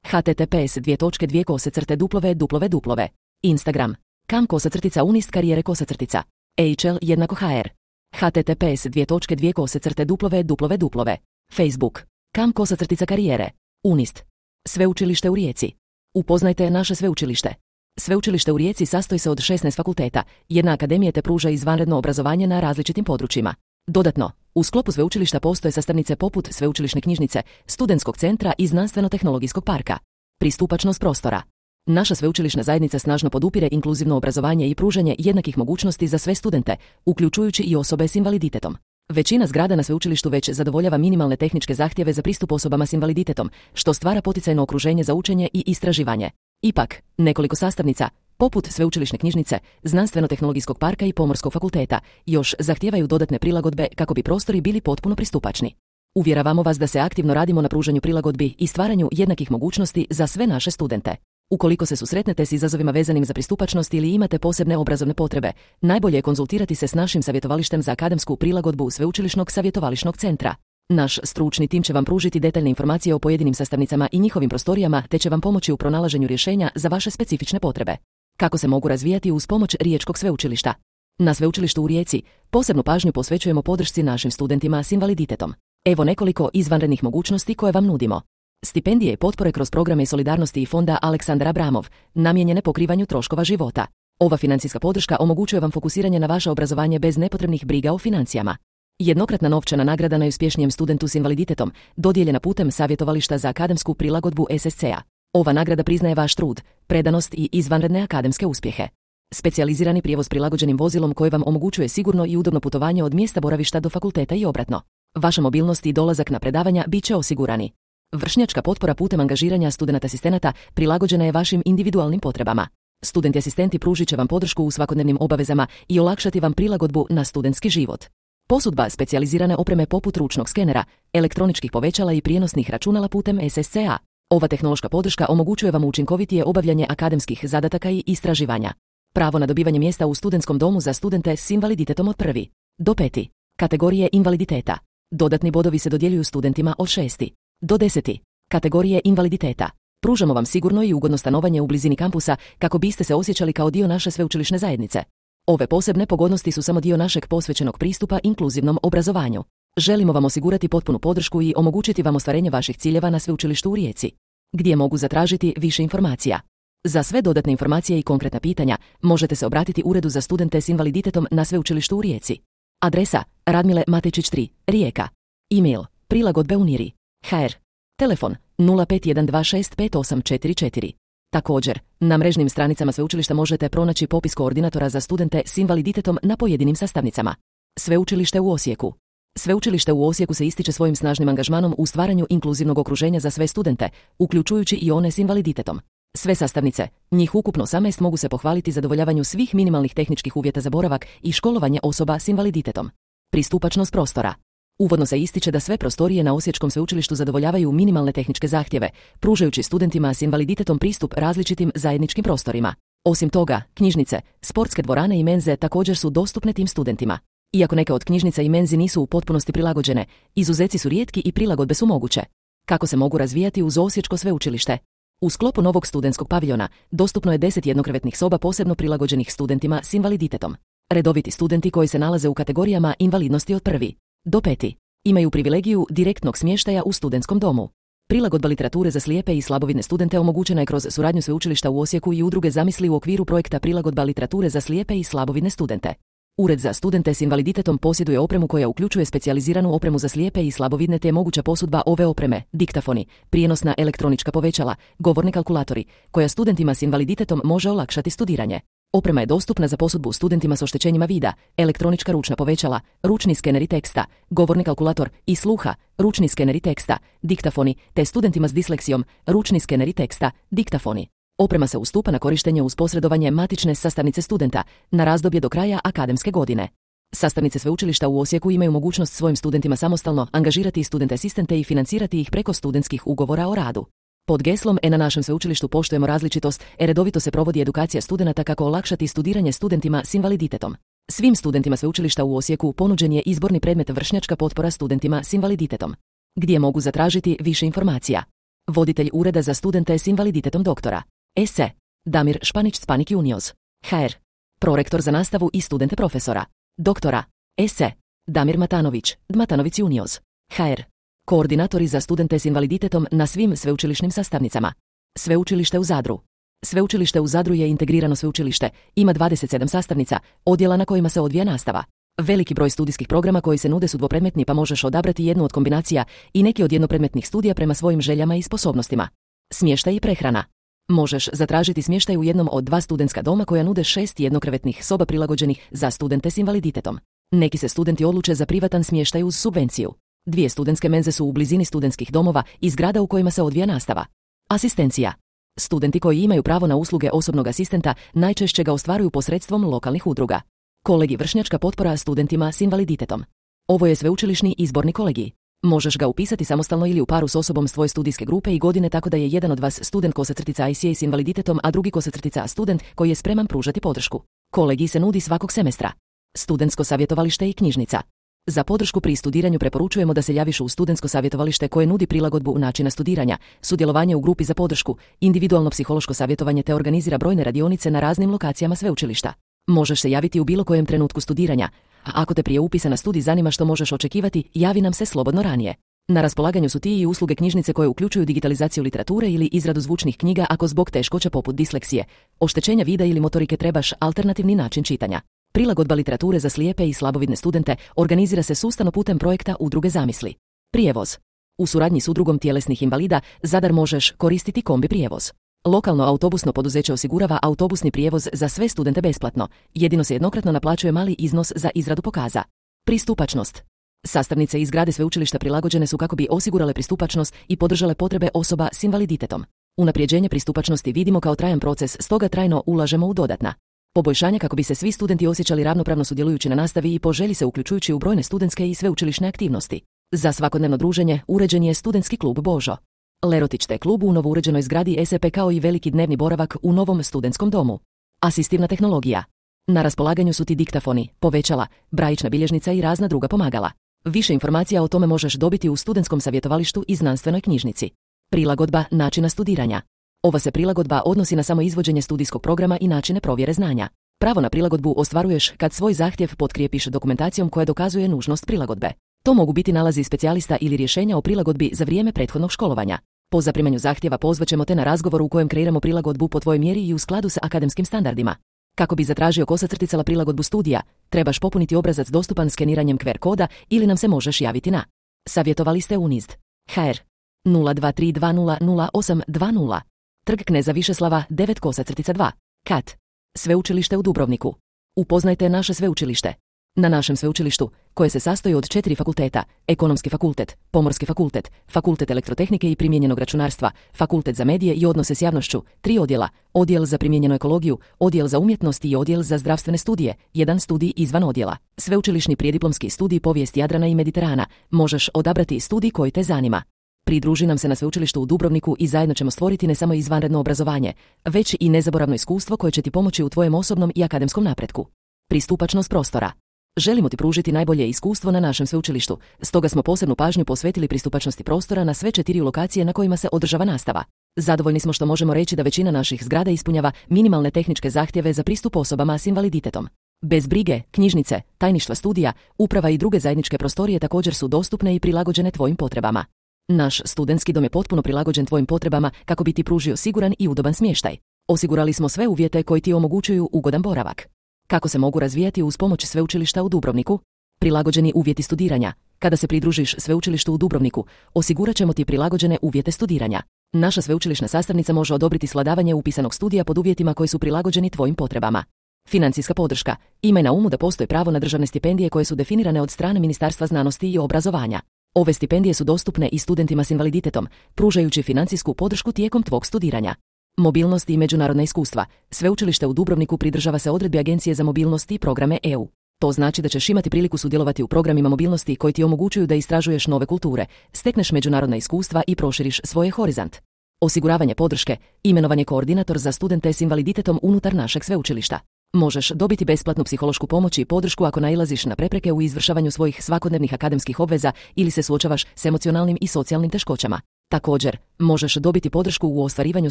https dvije točke dvije kose crte duplove duplove duplove Instagram kam kosa crtica unist karijere kosa crtica hl jednako hr https dvije točke dvije kose crte duplove duplove duplove Facebook kam kosa crtica karijere unist. Sveučilište u Rijeci. Upoznajte naše sveučilište. Sveučilište u Rijeci sastoji se od šesnaest fakulteta, jedna akademija te pruža izvanredno obrazovanje na različitim područjima. Dodatno, u sklopu sveučilišta postoje sastavnice poput sveučilišne knjižnice, studentskog centra i znanstveno-tehnologijskog parka. Pristupačnost prostora. Naša sveučilišna zajednica snažno podupire inkluzivno obrazovanje i pružanje jednakih mogućnosti za sve studente, uključujući i osobe s invaliditetom. Većina zgrada na sveučilištu već zadovoljava minimalne tehničke zahtjeve za pristup osobama s invaliditetom, što stvara poticajno okruženje za učenje i istraživanje. Ipak, nekoliko sastavnica, poput sveučilišne knjižnice, znanstveno-tehnologijskog parka i pomorskog fakulteta, još zahtijevaju dodatne prilagodbe kako bi prostori bili potpuno pristupačni. Uvjeravamo vas da se aktivno radimo na pružanju prilagodbi i stvaranju jednakih mogućnosti za sve naše studente. Ukoliko se susretnete s izazovima vezanim za pristupačnost ili imate posebne obrazovne potrebe, najbolje je konzultirati se s našim savjetovalištem za akademsku prilagodbu Sveučilišnog savjetovališnog centra. Naš stručni tim će vam pružiti detaljne informacije o pojedinim sastavnicama i njihovim prostorijama, te će vam pomoći u pronalaženju rješenja za vaše specifične potrebe. Kako se mogu razvijati uz pomoć Riječkog sveučilišta? Na Sveučilištu u Rijeci posebnu pažnju posvećujemo podršci našim studentima s invaliditetom. Evo nekoliko izvanrednih mogućnosti koje vam nudimo. Stipendije i potpore kroz programe solidarnosti i fonda Aleksandar Abramov, namijenjene pokrivanju troškova života. Ova financijska podrška omogućuje vam fokusiranje na vaše obrazovanje bez nepotrebnih briga o financijama. Jednokratna novčana nagrada najuspješnijem studentu s invaliditetom, dodijeljena putem savjetovališta za akademsku prilagodbu S S C-a. Ova nagrada priznaje vaš trud, predanost i izvanredne akademske uspjehe. Specijalizirani prijevoz prilagođenim vozilom koji vam omogućuje sigurno i udobno putovanje od mjesta boravišta do fakulteta i obratno. Vaša mobilnost i dolazak na predavanja bit će osigurani. Vršnjačka potpora putem angažiranja studenata asistenata prilagođena je vašim individualnim potrebama. Studenti asistenti pružit će vam podršku u svakodnevnim obavezama i olakšati vam prilagodbu na studentski život. Posudba specijalizirane opreme poput ručnog skenera, elektroničkih povećala i prijenosnih računala putem S S C-a. Ova tehnološka podrška omogućuje vam učinkovitije obavljanje akademskih zadataka i istraživanja. Pravo na dobivanje mjesta u studentskom domu za studente s invaliditetom od prvi do peti kategorije invaliditeta. Dodatni bodovi se dodjeljuju studentima od šesti do deseti kategorije invaliditeta. Pružamo vam sigurno i ugodno stanovanje u blizini kampusa kako biste se osjećali kao dio naše sveučilišne zajednice. Ove posebne pogodnosti su samo dio našeg posvećenog pristupa inkluzivnom obrazovanju. Želimo vam osigurati potpunu podršku i omogućiti vam ostvarenje vaših ciljeva na Sveučilištu u Rijeci. Gdje mogu zatražiti više informacija? Za sve dodatne informacije i konkretna pitanja možete se obratiti Uredu za studente s invaliditetom na Sveučilištu u Rijeci. Adresa Radmile Matečić tri, Rijeka. E-mail prilagodbe uniri hr. Telefon nula pet jedan dva šest pet osam četiri četiri. Također, na mrežnim stranicama sveučilišta možete pronaći popis koordinatora za studente s invaliditetom na pojedinim sastavnicama. Sveučilište u Osijeku. Sveučilište u Osijeku se ističe svojim snažnim angažmanom u stvaranju inkluzivnog okruženja za sve studente, uključujući i one s invaliditetom. Sve sastavnice, njih ukupno osamnaest, mogu se pohvaliti zadovoljavanju svih minimalnih tehničkih uvjeta za boravak i školovanje osoba s invaliditetom. Pristupačnost prostora. Uvodno se ističe da sve prostorije na Osječkom sveučilištu zadovoljavaju minimalne tehničke zahtjeve, pružajući studentima s invaliditetom pristup različitim zajedničkim prostorima. Osim toga, knjižnice, sportske dvorane i menze također su dostupne tim studentima. Iako neke od knjižnica i menzi nisu u potpunosti prilagođene, izuzeci su rijetki i prilagodbe su moguće. Kako se mogu razvijati uz Osječko sveučilište? U sklopu novog studentskog paviljona dostupno je deset jednokrevetnih soba posebno prilagođenih studentima s invaliditetom. Redoviti studenti koji se nalaze u kategorijama invalidnosti od prvi do peti imaju privilegiju direktnog smještaja u studentskom domu. Prilagodba literature za slijepe i slabovidne studente omogućena je kroz suradnju sveučilišta u Osijeku i udruge Zamisli u okviru projekta Prilagodba literature za slijepe i slabovidne studente. Ured za studente s invaliditetom posjeduje opremu koja uključuje specijaliziranu opremu za slijepe i slabovidne te je moguća posudba ove opreme, diktafoni, prijenosna elektronička povećala, govorni kalkulatori, koja studentima s invaliditetom može olakšati studiranje. Oprema je dostupna za posudbu studentima s oštećenjima vida, elektronička ručna povećala, ručni skeneri teksta, govorni kalkulator i sluha, ručni skeneri teksta, diktafoni, te studentima s disleksijom, ručni skeneri teksta, diktafoni. Oprema se ustupa na korištenje uz posredovanje matične sastavnice studenta na razdoblje do kraja akademske godine. Sastavnice sveučilišta u Osijeku imaju mogućnost svojim studentima samostalno angažirati student asistente i financirati ih preko studentskih ugovora o radu. Pod geslom E na našem sveučilištu poštujemo različitost, e redovito se provodi edukacija studenata kako olakšati studiranje studentima s invaliditetom. Svim studentima sveučilišta u Osijeku ponuđen je izborni predmet vršnjačka potpora studentima s invaliditetom, gdje mogu zatražiti više informacija. Voditelj Ureda za studente s invaliditetom doktora S. Damir Španić Spanik Junios, H R. Prorektor za nastavu i studente profesora doktora S. Damir Matanović, Matanović Junios, H R. Koordinatori za studente s invaliditetom na svim sveučilišnim sastavnicama. Sveučilište u Zadru. Sveučilište u Zadru je integrirano sveučilište, ima dvadeset sedam sastavnica, odjela na kojima se odvija nastava. Veliki broj studijskih programa koji se nude su dvopredmetni pa možeš odabrati jednu od kombinacija i neki od jednopredmetnih studija prema svojim željama i sposobnostima. Smještaj i prehrana. Možeš zatražiti smještaj u jednom od dva studentska doma koja nude šest jednokrevetnih soba prilagođenih za studente s invaliditetom. Neki se studenti odluče za privatan smještaj uz subvenciju. Dvije studentske menze su u blizini studentskih domova i zgrada u kojima se odvija nastava. Asistencija. Studenti koji imaju pravo na usluge osobnog asistenta najčešće ga ostvaruju posredstvom lokalnih udruga. Kolegij vršnjačka potpora studentima s invaliditetom. Ovo je sveučilišni izborni kolegij. Možeš ga upisati samostalno ili u paru s osobom s tvoje studijske grupe i godine tako da je jedan od vas student kosacrtica I C A s invaliditetom, a drugi kosacrtica student koji je spreman pružati podršku. Kolegij se nudi svakog semestra. Studentsko savjetovalište i knjižnica. Za podršku pri studiranju preporučujemo da se javiš u studentsko savjetovalište koje nudi prilagodbu načina studiranja, sudjelovanje u grupi za podršku, individualno psihološko savjetovanje te organizira brojne radionice na raznim lokacijama sveučilišta. Možeš se javiti u bilo kojem trenutku studiranja, a ako te prije upisa na studij zanima što možeš očekivati, javi nam se slobodno ranije. Na raspolaganju su ti i usluge knjižnice koje uključuju digitalizaciju literature ili izradu zvučnih knjiga ako zbog teškoća poput disleksije, oštećenja vida ili motorike trebaš alternativni način čitanja. Prilagodba literature za slijepe i slabovidne studente organizira se sustavno putem projekta Udruge Zamisli. Prijevoz. U suradnji s Udrugom tjelesnih invalida Zadar možeš koristiti kombi prijevoz. Lokalno autobusno poduzeće osigurava autobusni prijevoz za sve studente besplatno, jedino se jednokratno naplaćuje mali iznos za izradu pokaza. Pristupačnost. Sastavnice iz zgrade sveučilišta prilagođene su kako bi osigurale pristupačnost i podržale potrebe osoba s invaliditetom. Unaprijeđenje pristupačnosti vidimo kao trajan proces, stoga trajno ulažemo u dodatna poboljšanja kako bi se svi studenti osjećali ravnopravno sudjelujući na nastavi i po želji se uključujući u brojne studentske i sveučilišne aktivnosti. Za svakodnevno druženje uređen je studentski klub Božo Lerotić te klub u novo uređenoj zgradi S E P kao i veliki dnevni boravak u novom studentskom domu. Asistivna tehnologija. Na raspolaganju su ti diktafoni, povećala, brajična bilježnica i razna druga pomagala. Više informacija o tome možeš dobiti u studentskom savjetovalištu i znanstvenoj knjižnici. Prilagodba načina studiranja. Ova se prilagodba odnosi na samo izvođenje studijskog programa i načine provjere znanja. Pravo na prilagodbu ostvaruješ kad svoj zahtjev potkrijepiš dokumentacijom koja dokazuje nužnost prilagodbe. To mogu biti nalazi specijalista ili rješenja o prilagodbi za vrijeme prethodnog školovanja. Po zaprimanju zahtjeva pozvaćemo te na razgovor u kojem kreiramo prilagodbu po tvojoj mjeri i u skladu sa akademskim standardima. Kako bi zatražio kosacrticala prilagodbu studija, trebaš popuniti obrazac dostupan skeniranjem Q R koda ili nam se možeš javiti na savjetovalište Unizd H R nula dva tri dva nula nula osam dva nula, Trg Kneza Višeslava devet kosacrtica dva, Kat. Sveučilište u Dubrovniku. Upoznajte naše sveučilište. Na našem sveučilištu, koje se sastoji od četiri fakulteta, Ekonomski fakultet, Pomorski fakultet, Fakultet elektrotehnike i primijenjenog računarstva, Fakultet za medije i odnose s javnošću, tri odjela, Odjel za primijenjenu ekologiju, Odjel za umjetnost i Odjel za zdravstvene studije, jedan studij izvan odjela. Sveučilišni prijediplomski studij povijest Jadrana i Mediterana, možeš odabrati studij koji te zanima. Pridruži nam se na sveučilištu u Dubrovniku i zajedno ćemo stvoriti ne samo izvanredno obrazovanje, već i nezaboravno iskustvo koje će ti pomoći u tvojem osobnom i akademskom napretku. Pristupačnost prostora. Želimo ti pružiti najbolje iskustvo na našem sveučilištu, stoga smo posebnu pažnju posvetili pristupačnosti prostora na sve četiri lokacije na kojima se održava nastava. Zadovoljni smo što možemo reći da većina naših zgrada ispunjava minimalne tehničke zahtjeve za pristup osobama s invaliditetom. Bez brige, knjižnice, tajništva studija, uprava i druge zajedničke prostorije također su dostupne i prilagođene tvojim potrebama. Naš studentski dom je potpuno prilagođen tvojim potrebama kako bi ti pružio siguran i udoban smještaj. Osigurali smo sve uvjete koji ti omogućuju ugodan boravak. Kako se mogu razvijati uz pomoć Sveučilišta u Dubrovniku? Prilagođeni uvjeti studiranja. Kada se pridružiš Sveučilištu u Dubrovniku, osigurat ćemo ti prilagođene uvjete studiranja. Naša sveučilišna sastavnica može odobriti svladavanje upisanog studija pod uvjetima koji su prilagođeni tvojim potrebama. Financijska podrška. Imaj na umu da postoji pravo na državne stipendije koje su definirane od strane Ministarstva znanosti i obrazovanja. Ove stipendije su dostupne i studentima s invaliditetom, pružajući financijsku podršku tijekom tvog studiranja. Mobilnost i međunarodna iskustva. Sveučilište u Dubrovniku pridržava se odredbi Agencije za mobilnost i programe E U. To znači da ćeš imati priliku sudjelovati u programima mobilnosti koji ti omogućuju da istražuješ nove kulture, stekneš međunarodna iskustva i proširiš svoje horizont. Osiguravanje podrške. Imenovan je koordinator za studente s invaliditetom unutar našeg sveučilišta. Možeš dobiti besplatnu psihološku pomoć i podršku ako nailaziš na prepreke u izvršavanju svojih svakodnevnih akademskih obveza ili se suočavaš s emocionalnim i socijalnim teškoćama. Također, možeš dobiti podršku u ostvarivanju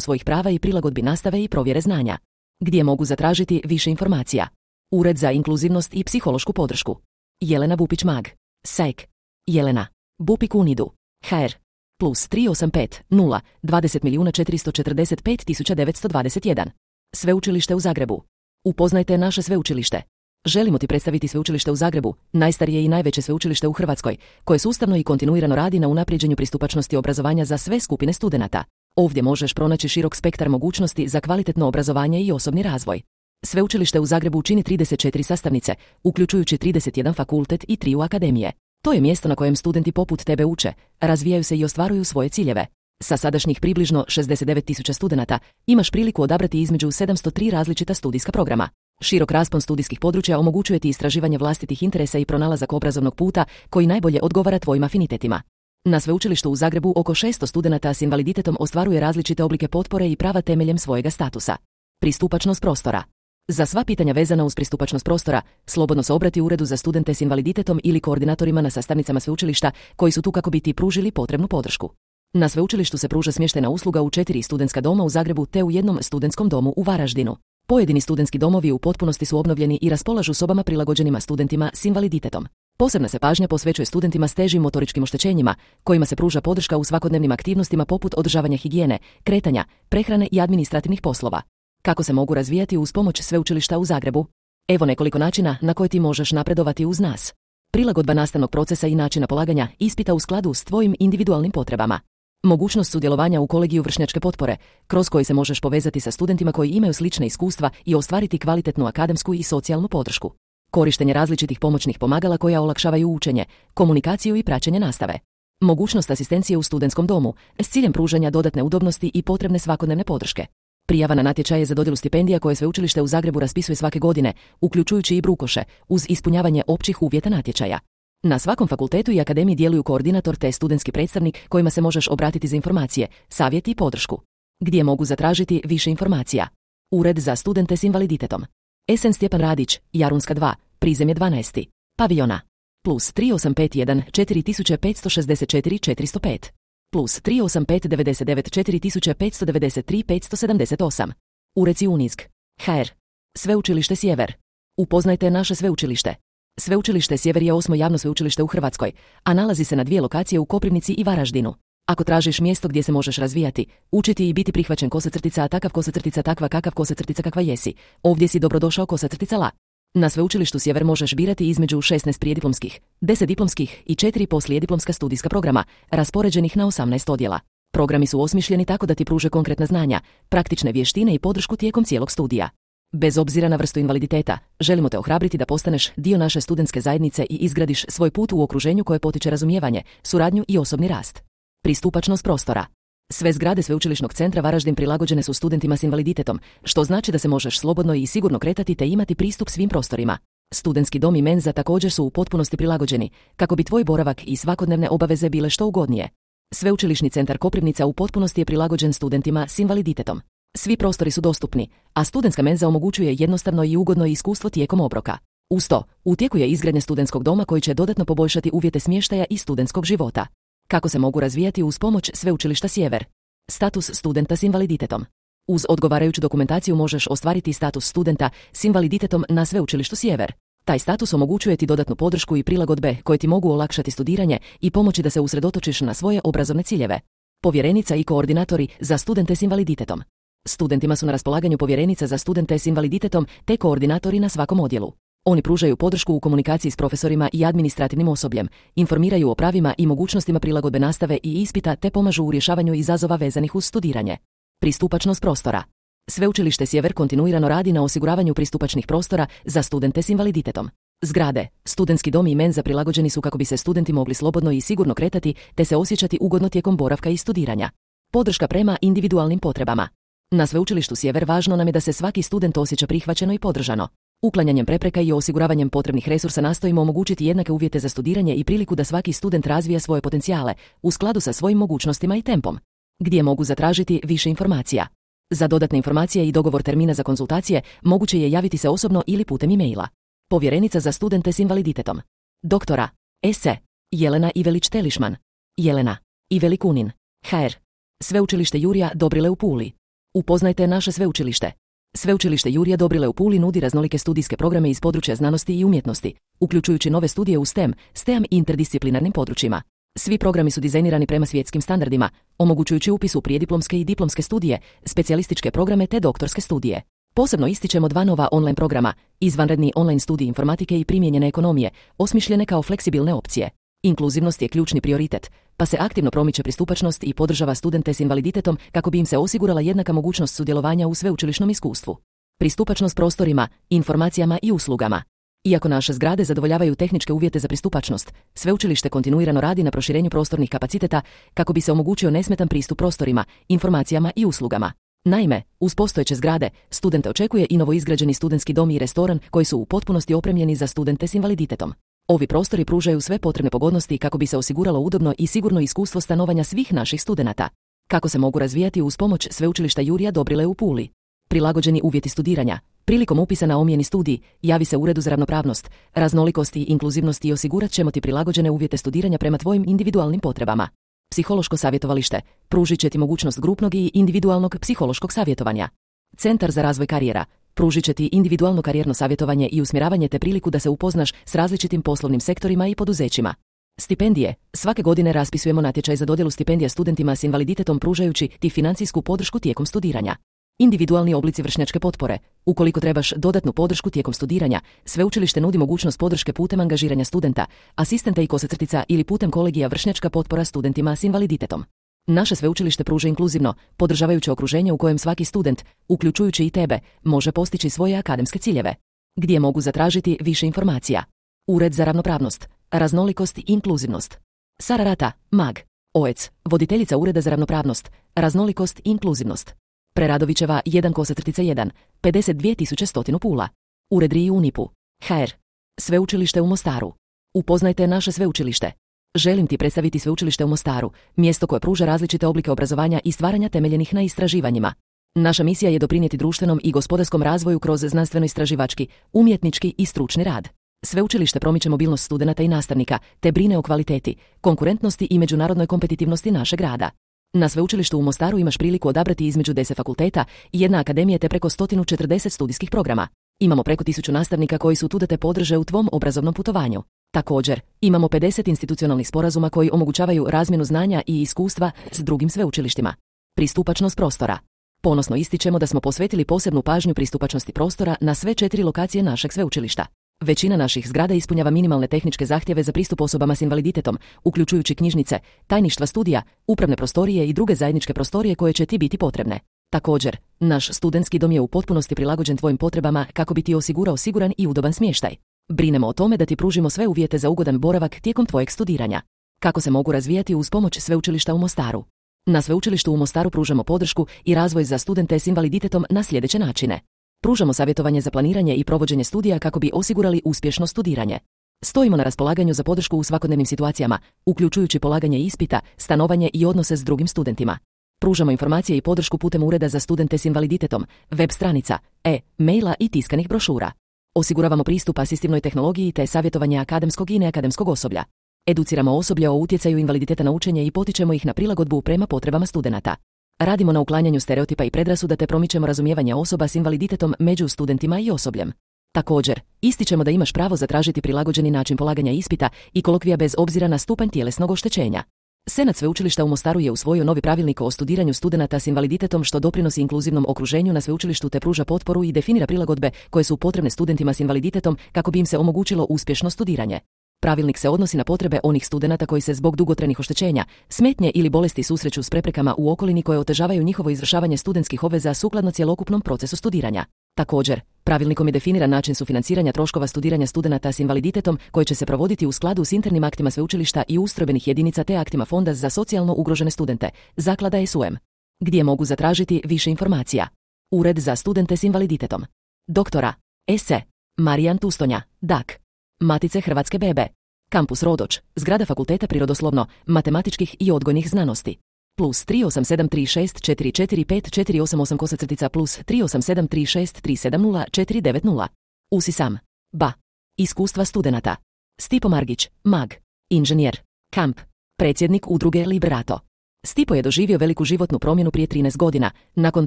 svojih prava i prilagodbi nastave i provjere znanja. Gdje mogu zatražiti više informacija? Ured za inkluzivnost i psihološku podršku. Jelena Bupić-Mag. S A E K. Jelena. Bupik Unidu. H R. Plus tri osam pet nula dvadeset milijuna četiristo četrdeset pet tisuća devetsto dvadeset jedan. Sveučilište u Zagrebu. Upoznajte naše sveučilište. Želimo ti predstaviti Sveučilište u Zagrebu, najstarije i najveće sveučilište u Hrvatskoj, koje sustavno i kontinuirano radi na unapređenju pristupačnosti obrazovanja za sve skupine studenata. Ovdje možeš pronaći širok spektar mogućnosti za kvalitetno obrazovanje i osobni razvoj. Sveučilište u Zagrebu čini trideset četiri sastavnice, uključujući trideset jedan fakultet i tri akademije. To je mjesto na kojem studenti poput tebe uče, razvijaju se i ostvaruju svoje ciljeve. Sa sadašnjih približno šezdeset devet tisuća studenata imaš priliku odabrati između sedamsto tri različita studijska programa. Širok raspon studijskih područja omogućuje ti istraživanje vlastitih interesa i pronalazak obrazovnog puta koji najbolje odgovara tvojim afinitetima. Na Sveučilištu u Zagrebu oko šesto studenata s invaliditetom ostvaruje različite oblike potpore i prava temeljem svojega statusa. Pristupačnost prostora. Za sva pitanja vezana uz pristupačnost prostora, slobodno se obrati Uredu za studente s invaliditetom ili koordinatorima na sastavnicama sveučilišta koji su tu kako bi ti pružili potrebnu podršku. Na sveučilištu se pruža smještajna usluga u četiri studentska doma u Zagrebu te u jednom studentskom domu u Varaždinu. Pojedini studentski domovi u potpunosti su obnovljeni i raspolažu sobama prilagođenima studentima s invaliditetom. Posebna se pažnja posvećuje studentima s težim motoričkim oštećenjima, kojima se pruža podrška u svakodnevnim aktivnostima poput održavanja higijene, kretanja, prehrane i administrativnih poslova. Kako se mogu razvijati uz pomoć Sveučilišta u Zagrebu? Evo nekoliko načina na koje ti možeš napredovati uz nas. Prilagodba nastavnog procesa i načina polaganja ispita u skladu s tvojim individualnim potrebama. Mogućnost sudjelovanja u kolegiju vršnjačke potpore, kroz koji se možeš povezati sa studentima koji imaju slične iskustva i ostvariti kvalitetnu akademsku i socijalnu podršku. Korištenje različitih pomoćnih pomagala koja olakšavaju učenje, komunikaciju i praćenje nastave. Mogućnost asistencije u studentskom domu s ciljem pružanja dodatne udobnosti i potrebne svakodnevne podrške. Prijava na natječaje za dodjelu stipendija koje Sveučilište u Zagrebu raspisuje svake godine, uključujući i brukoše, uz ispunjavanje općih uvjeta natječaja. Na svakom fakultetu i akademiji djeluju koordinator te studentski predstavnik kojima se možeš obratiti za informacije, savjet i podršku. Gdje mogu zatražiti više informacija? Ured za studente s invaliditetom. S N Stjepan Radić, Jarunska dva, prizemlje dvanaest. Paviljona. Plus tri osam pet jedan četiri pet šest četiri četiri zero pet. Plus tri osam pet devet devet četiri pet devet tri pet sedam osam. Ureci Unizg. H R. Sveučilište Sjever. Upoznajte naše sveučilište. Sveučilište Sjever je osmo javno sveučilište u Hrvatskoj, a nalazi se na dvije lokacije u Koprivnici i Varaždinu. Ako tražiš mjesto gdje se možeš razvijati, učiti i biti prihvaćen kosacrtica a takav kosacrtica takva kakav kosacrtica kakva jesi, ovdje si dobrodošao kosacrtica la. Na Sveučilištu Sjever možeš birati između šesnaest prijediplomskih, deset diplomskih i četiri poslijediplomska studijska programa, raspoređenih na osamnaest odjela. Programi su osmišljeni tako da ti pruže konkretna znanja, praktične vještine i podršku tijekom cijelog studija. Bez obzira na vrstu invaliditeta, želimo te ohrabriti da postaneš dio naše studentske zajednice i izgradiš svoj put u okruženju koje potiče razumijevanje, suradnju i osobni rast. Pristupačnost prostora. Sve zgrade Sveučilišnog centra Varaždin prilagođene su studentima s invaliditetom, što znači da se možeš slobodno i sigurno kretati te imati pristup svim prostorima. Studentski dom i menza također su u potpunosti prilagođeni, kako bi tvoj boravak i svakodnevne obaveze bile što ugodnije. Sveučilišni centar Koprivnica u potpunosti je prilagođen studentima s invaliditetom. Svi prostori su dostupni, a studentska menza omogućuje jednostavno i ugodno iskustvo tijekom obroka. Uz to, u tijeku je izgradnja studentskog doma koji će dodatno poboljšati uvjete smještaja i studentskog života. Kako se mogu razvijati uz pomoć Sveučilišta Sjever? Status studenta s invaliditetom. Uz odgovarajuću dokumentaciju možeš ostvariti status studenta s invaliditetom na Sveučilištu Sjever. Taj status omogućuje ti dodatnu podršku i prilagodbe koje ti mogu olakšati studiranje i pomoći da se usredotočiš na svoje obrazovne ciljeve. Povjerenica i koordinatori za studente s invaliditetom. Studentima su na raspolaganju povjerenica za studente s invaliditetom te koordinatori na svakom odjelu. Oni pružaju podršku u komunikaciji s profesorima i administrativnim osobljem, informiraju o pravima i mogućnostima prilagodbe nastave i ispita te pomažu u rješavanju izazova vezanih uz studiranje. Pristupačnost prostora. Sveučilište Sjever kontinuirano radi na osiguravanju pristupačnih prostora za studente s invaliditetom. Zgrade, studentski dom i menza prilagođeni su kako bi se studenti mogli slobodno i sigurno kretati te se osjećati ugodno tijekom boravka i studiranja. Podrška prema individualnim potrebama. Na Sveučilištu Sjever važno nam je da se svaki student osjeća prihvaćeno i podržano. Uklanjanjem prepreka i osiguravanjem potrebnih resursa nastojimo omogućiti jednake uvjete za studiranje i priliku da svaki student razvija svoje potencijale u skladu sa svojim mogućnostima i tempom. Gdje mogu zatražiti više informacija? Za dodatne informacije i dogovor termina za konzultacije moguće je javiti se osobno ili putem e-maila. Povjerenica za studente s invaliditetom. Doktora S. Jelena Ivelić-Telišman. Jelena Ivelikunin. H R. Sveučilište Jurija Dobrile u Puli. Upoznajte naše sveučilište. Sveučilište Jurija Dobrile u Puli nudi raznolike studijske programe iz područja znanosti i umjetnosti, uključujući nove studije u STEM, STEAM i interdisciplinarnim područjima. Svi programi su dizajnirani prema svjetskim standardima, omogućujući upis u prijediplomske i diplomske studije, specijalističke programe te doktorske studije. Posebno ističemo dva nova online programa, izvanredni online studij informatike i primijenjene ekonomije, osmišljene kao fleksibilne opcije. Inkluzivnost je ključni prioritet, pa se aktivno promiče pristupačnost i podržava studente s invaliditetom kako bi im se osigurala jednaka mogućnost sudjelovanja u sveučilišnom iskustvu. Pristupačnost prostorima, informacijama i uslugama. Iako naše zgrade zadovoljavaju tehničke uvjete za pristupačnost, sveučilište kontinuirano radi na proširenju prostornih kapaciteta kako bi se omogućio nesmetan pristup prostorima, informacijama i uslugama. Naime, uz postojeće zgrade, studente očekuje i novoizgrađeni studentski dom i restoran koji su u potpunosti opremljeni za studente s invaliditetom. Ovi prostori pružaju sve potrebne pogodnosti kako bi se osiguralo udobno i sigurno iskustvo stanovanja svih naših studenata. Kako se mogu razvijati uz pomoć Sveučilišta Jurija Dobrile u Puli? Prilagođeni uvjeti studiranja. Prilikom upisa na omjeni studij, javi se Uredu za ravnopravnost, raznolikost i inkluzivnost i osigurat ćemo ti prilagođene uvjete studiranja prema tvojim individualnim potrebama. Psihološko savjetovalište. Pružit će ti mogućnost grupnog i individualnog psihološkog savjetovanja. Centar za razvoj karijera. Pružit će ti individualno karijerno savjetovanje i usmjeravanje te priliku da se upoznaš s različitim poslovnim sektorima i poduzećima. Stipendije. Svake godine raspisujemo natječaj za dodjelu stipendija studentima s invaliditetom pružajući ti financijsku podršku tijekom studiranja. Individualni oblici vršnjačke potpore. Ukoliko trebaš dodatnu podršku tijekom studiranja, sveučilište nudi mogućnost podrške putem angažiranja studenta, asistenta i kosacrtica ili putem kolegija vršnjačka potpora studentima s invaliditetom. Naše sveučilište pruža inkluzivno, podržavajuće okruženje u kojem svaki student, uključujući i tebe, može postići svoje akademske ciljeve. Gdje mogu zatražiti više informacija? Ured za ravnopravnost, raznolikost i inkluzivnost. Sara Rata, mag. O E C, voditeljica Ureda za ravnopravnost, raznolikost i inkluzivnost. Preradovićeva jedan kosacrtica jedan, pedeset dvije tisuće sto Pula. Ured R I U Unipu. H R. Sveučilište u Mostaru. Upoznajte naše sveučilište. Želim ti predstaviti Sveučilište u Mostaru, mjesto koje pruža različite oblike obrazovanja i stvaranja temeljenih na istraživanjima. Naša misija je doprinijeti društvenom i gospodarskom razvoju kroz znanstveno-istraživački, umjetnički i stručni rad. Sveučilište promiče mobilnost studenata i nastavnika, te brine o kvaliteti, konkurentnosti i međunarodnoj kompetitivnosti našeg rada. Na Sveučilištu u Mostaru imaš priliku odabrati između deset fakulteta i jedna akademija te preko sto četrdeset studijskih programa. Imamo preko tisuću nastavnika koji su tu da te podrže u tvom obrazovnom putovanju. Također, imamo pedeset institucionalnih sporazuma koji omogućavaju razmjenu znanja i iskustva s drugim sveučilištima. Pristupačnost prostora. Ponosno ističemo da smo posvetili posebnu pažnju pristupačnosti prostora na sve četiri lokacije našeg sveučilišta. Većina naših zgrada ispunjava minimalne tehničke zahtjeve za pristup osobama s invaliditetom, uključujući knjižnice, tajništva studija, upravne prostorije i druge zajedničke prostorije koje će ti biti potrebne. Također, naš studentski dom je u potpunosti prilagođen tvojim potrebama kako bi ti osigurao siguran i udoban smještaj. Brinemo o tome da ti pružimo sve uvjete za ugodan boravak tijekom tvojeg studiranja. Kako se mogu razvijati uz pomoć Sveučilišta u Mostaru? Na Sveučilištu u Mostaru pružamo podršku i razvoj za studente s invaliditetom na sljedeće načine. Pružamo savjetovanje za planiranje i provođenje studija kako bi osigurali uspješno studiranje. Stojimo na raspolaganju za podršku u svakodnevnim situacijama, uključujući polaganje ispita, stanovanje i odnose s drugim studentima. Pružamo informacije i podršku putem Ureda za studente s invaliditetom, web stranica, e-maila i tiskanih brošura. Osiguravamo pristup asistivnoj tehnologiji te savjetovanje akademskog i neakademskog osoblja. Educiramo osoblje o utjecaju invaliditeta na učenje i potičemo ih na prilagodbu prema potrebama studenata. Radimo na uklanjanju stereotipa i predrasuda te promičemo razumijevanje osoba s invaliditetom među studentima i osobljem. Također, ističemo da imaš pravo zatražiti prilagođeni način polaganja ispita i kolokvija bez obzira na stupanj tjelesnog oštećenja. Senat sveučilišta u Mostaru je usvojio novi pravilnik o studiranju studenata s invaliditetom što doprinosi inkluzivnom okruženju na sveučilištu te pruža potporu i definira prilagodbe koje su potrebne studentima s invaliditetom kako bi im se omogućilo uspješno studiranje. Pravilnik se odnosi na potrebe onih studenata koji se zbog dugotrajnih oštećenja, smetnje ili bolesti susreću s preprekama u okolini koje otežavaju njihovo izvršavanje studentskih obveza sukladno cjelokupnom procesu studiranja. Također, pravilnikom je definiran način sufinanciranja troškova studiranja studenata s invaliditetom koji će se provoditi u skladu s internim aktima sveučilišta i ustrojbenih jedinica te aktima Fonda za socijalno ugrožene studente, zaklada S U M. Gdje mogu zatražiti više informacija. Ured za studente s invaliditetom. Doktora S C. Marijan Tustonja, D A K. Matice Hrvatske bebe. Kampus Rodoč, zgrada Fakulteta prirodoslovno, matematičkih i odgojnih znanosti. Plus tri osam sedam tri šest četiri četiri pet četiri osam osam kosacrtica plus tri osam sedam tri šest tri sedam nula četiri devet nula. Usisam. Ba. Iskustva studenata. Stipo Margić, mag. Inženjer. Kamp. Predsjednik udruge Liberato. Stipo je doživio veliku životnu promjenu prije trinaest godina, nakon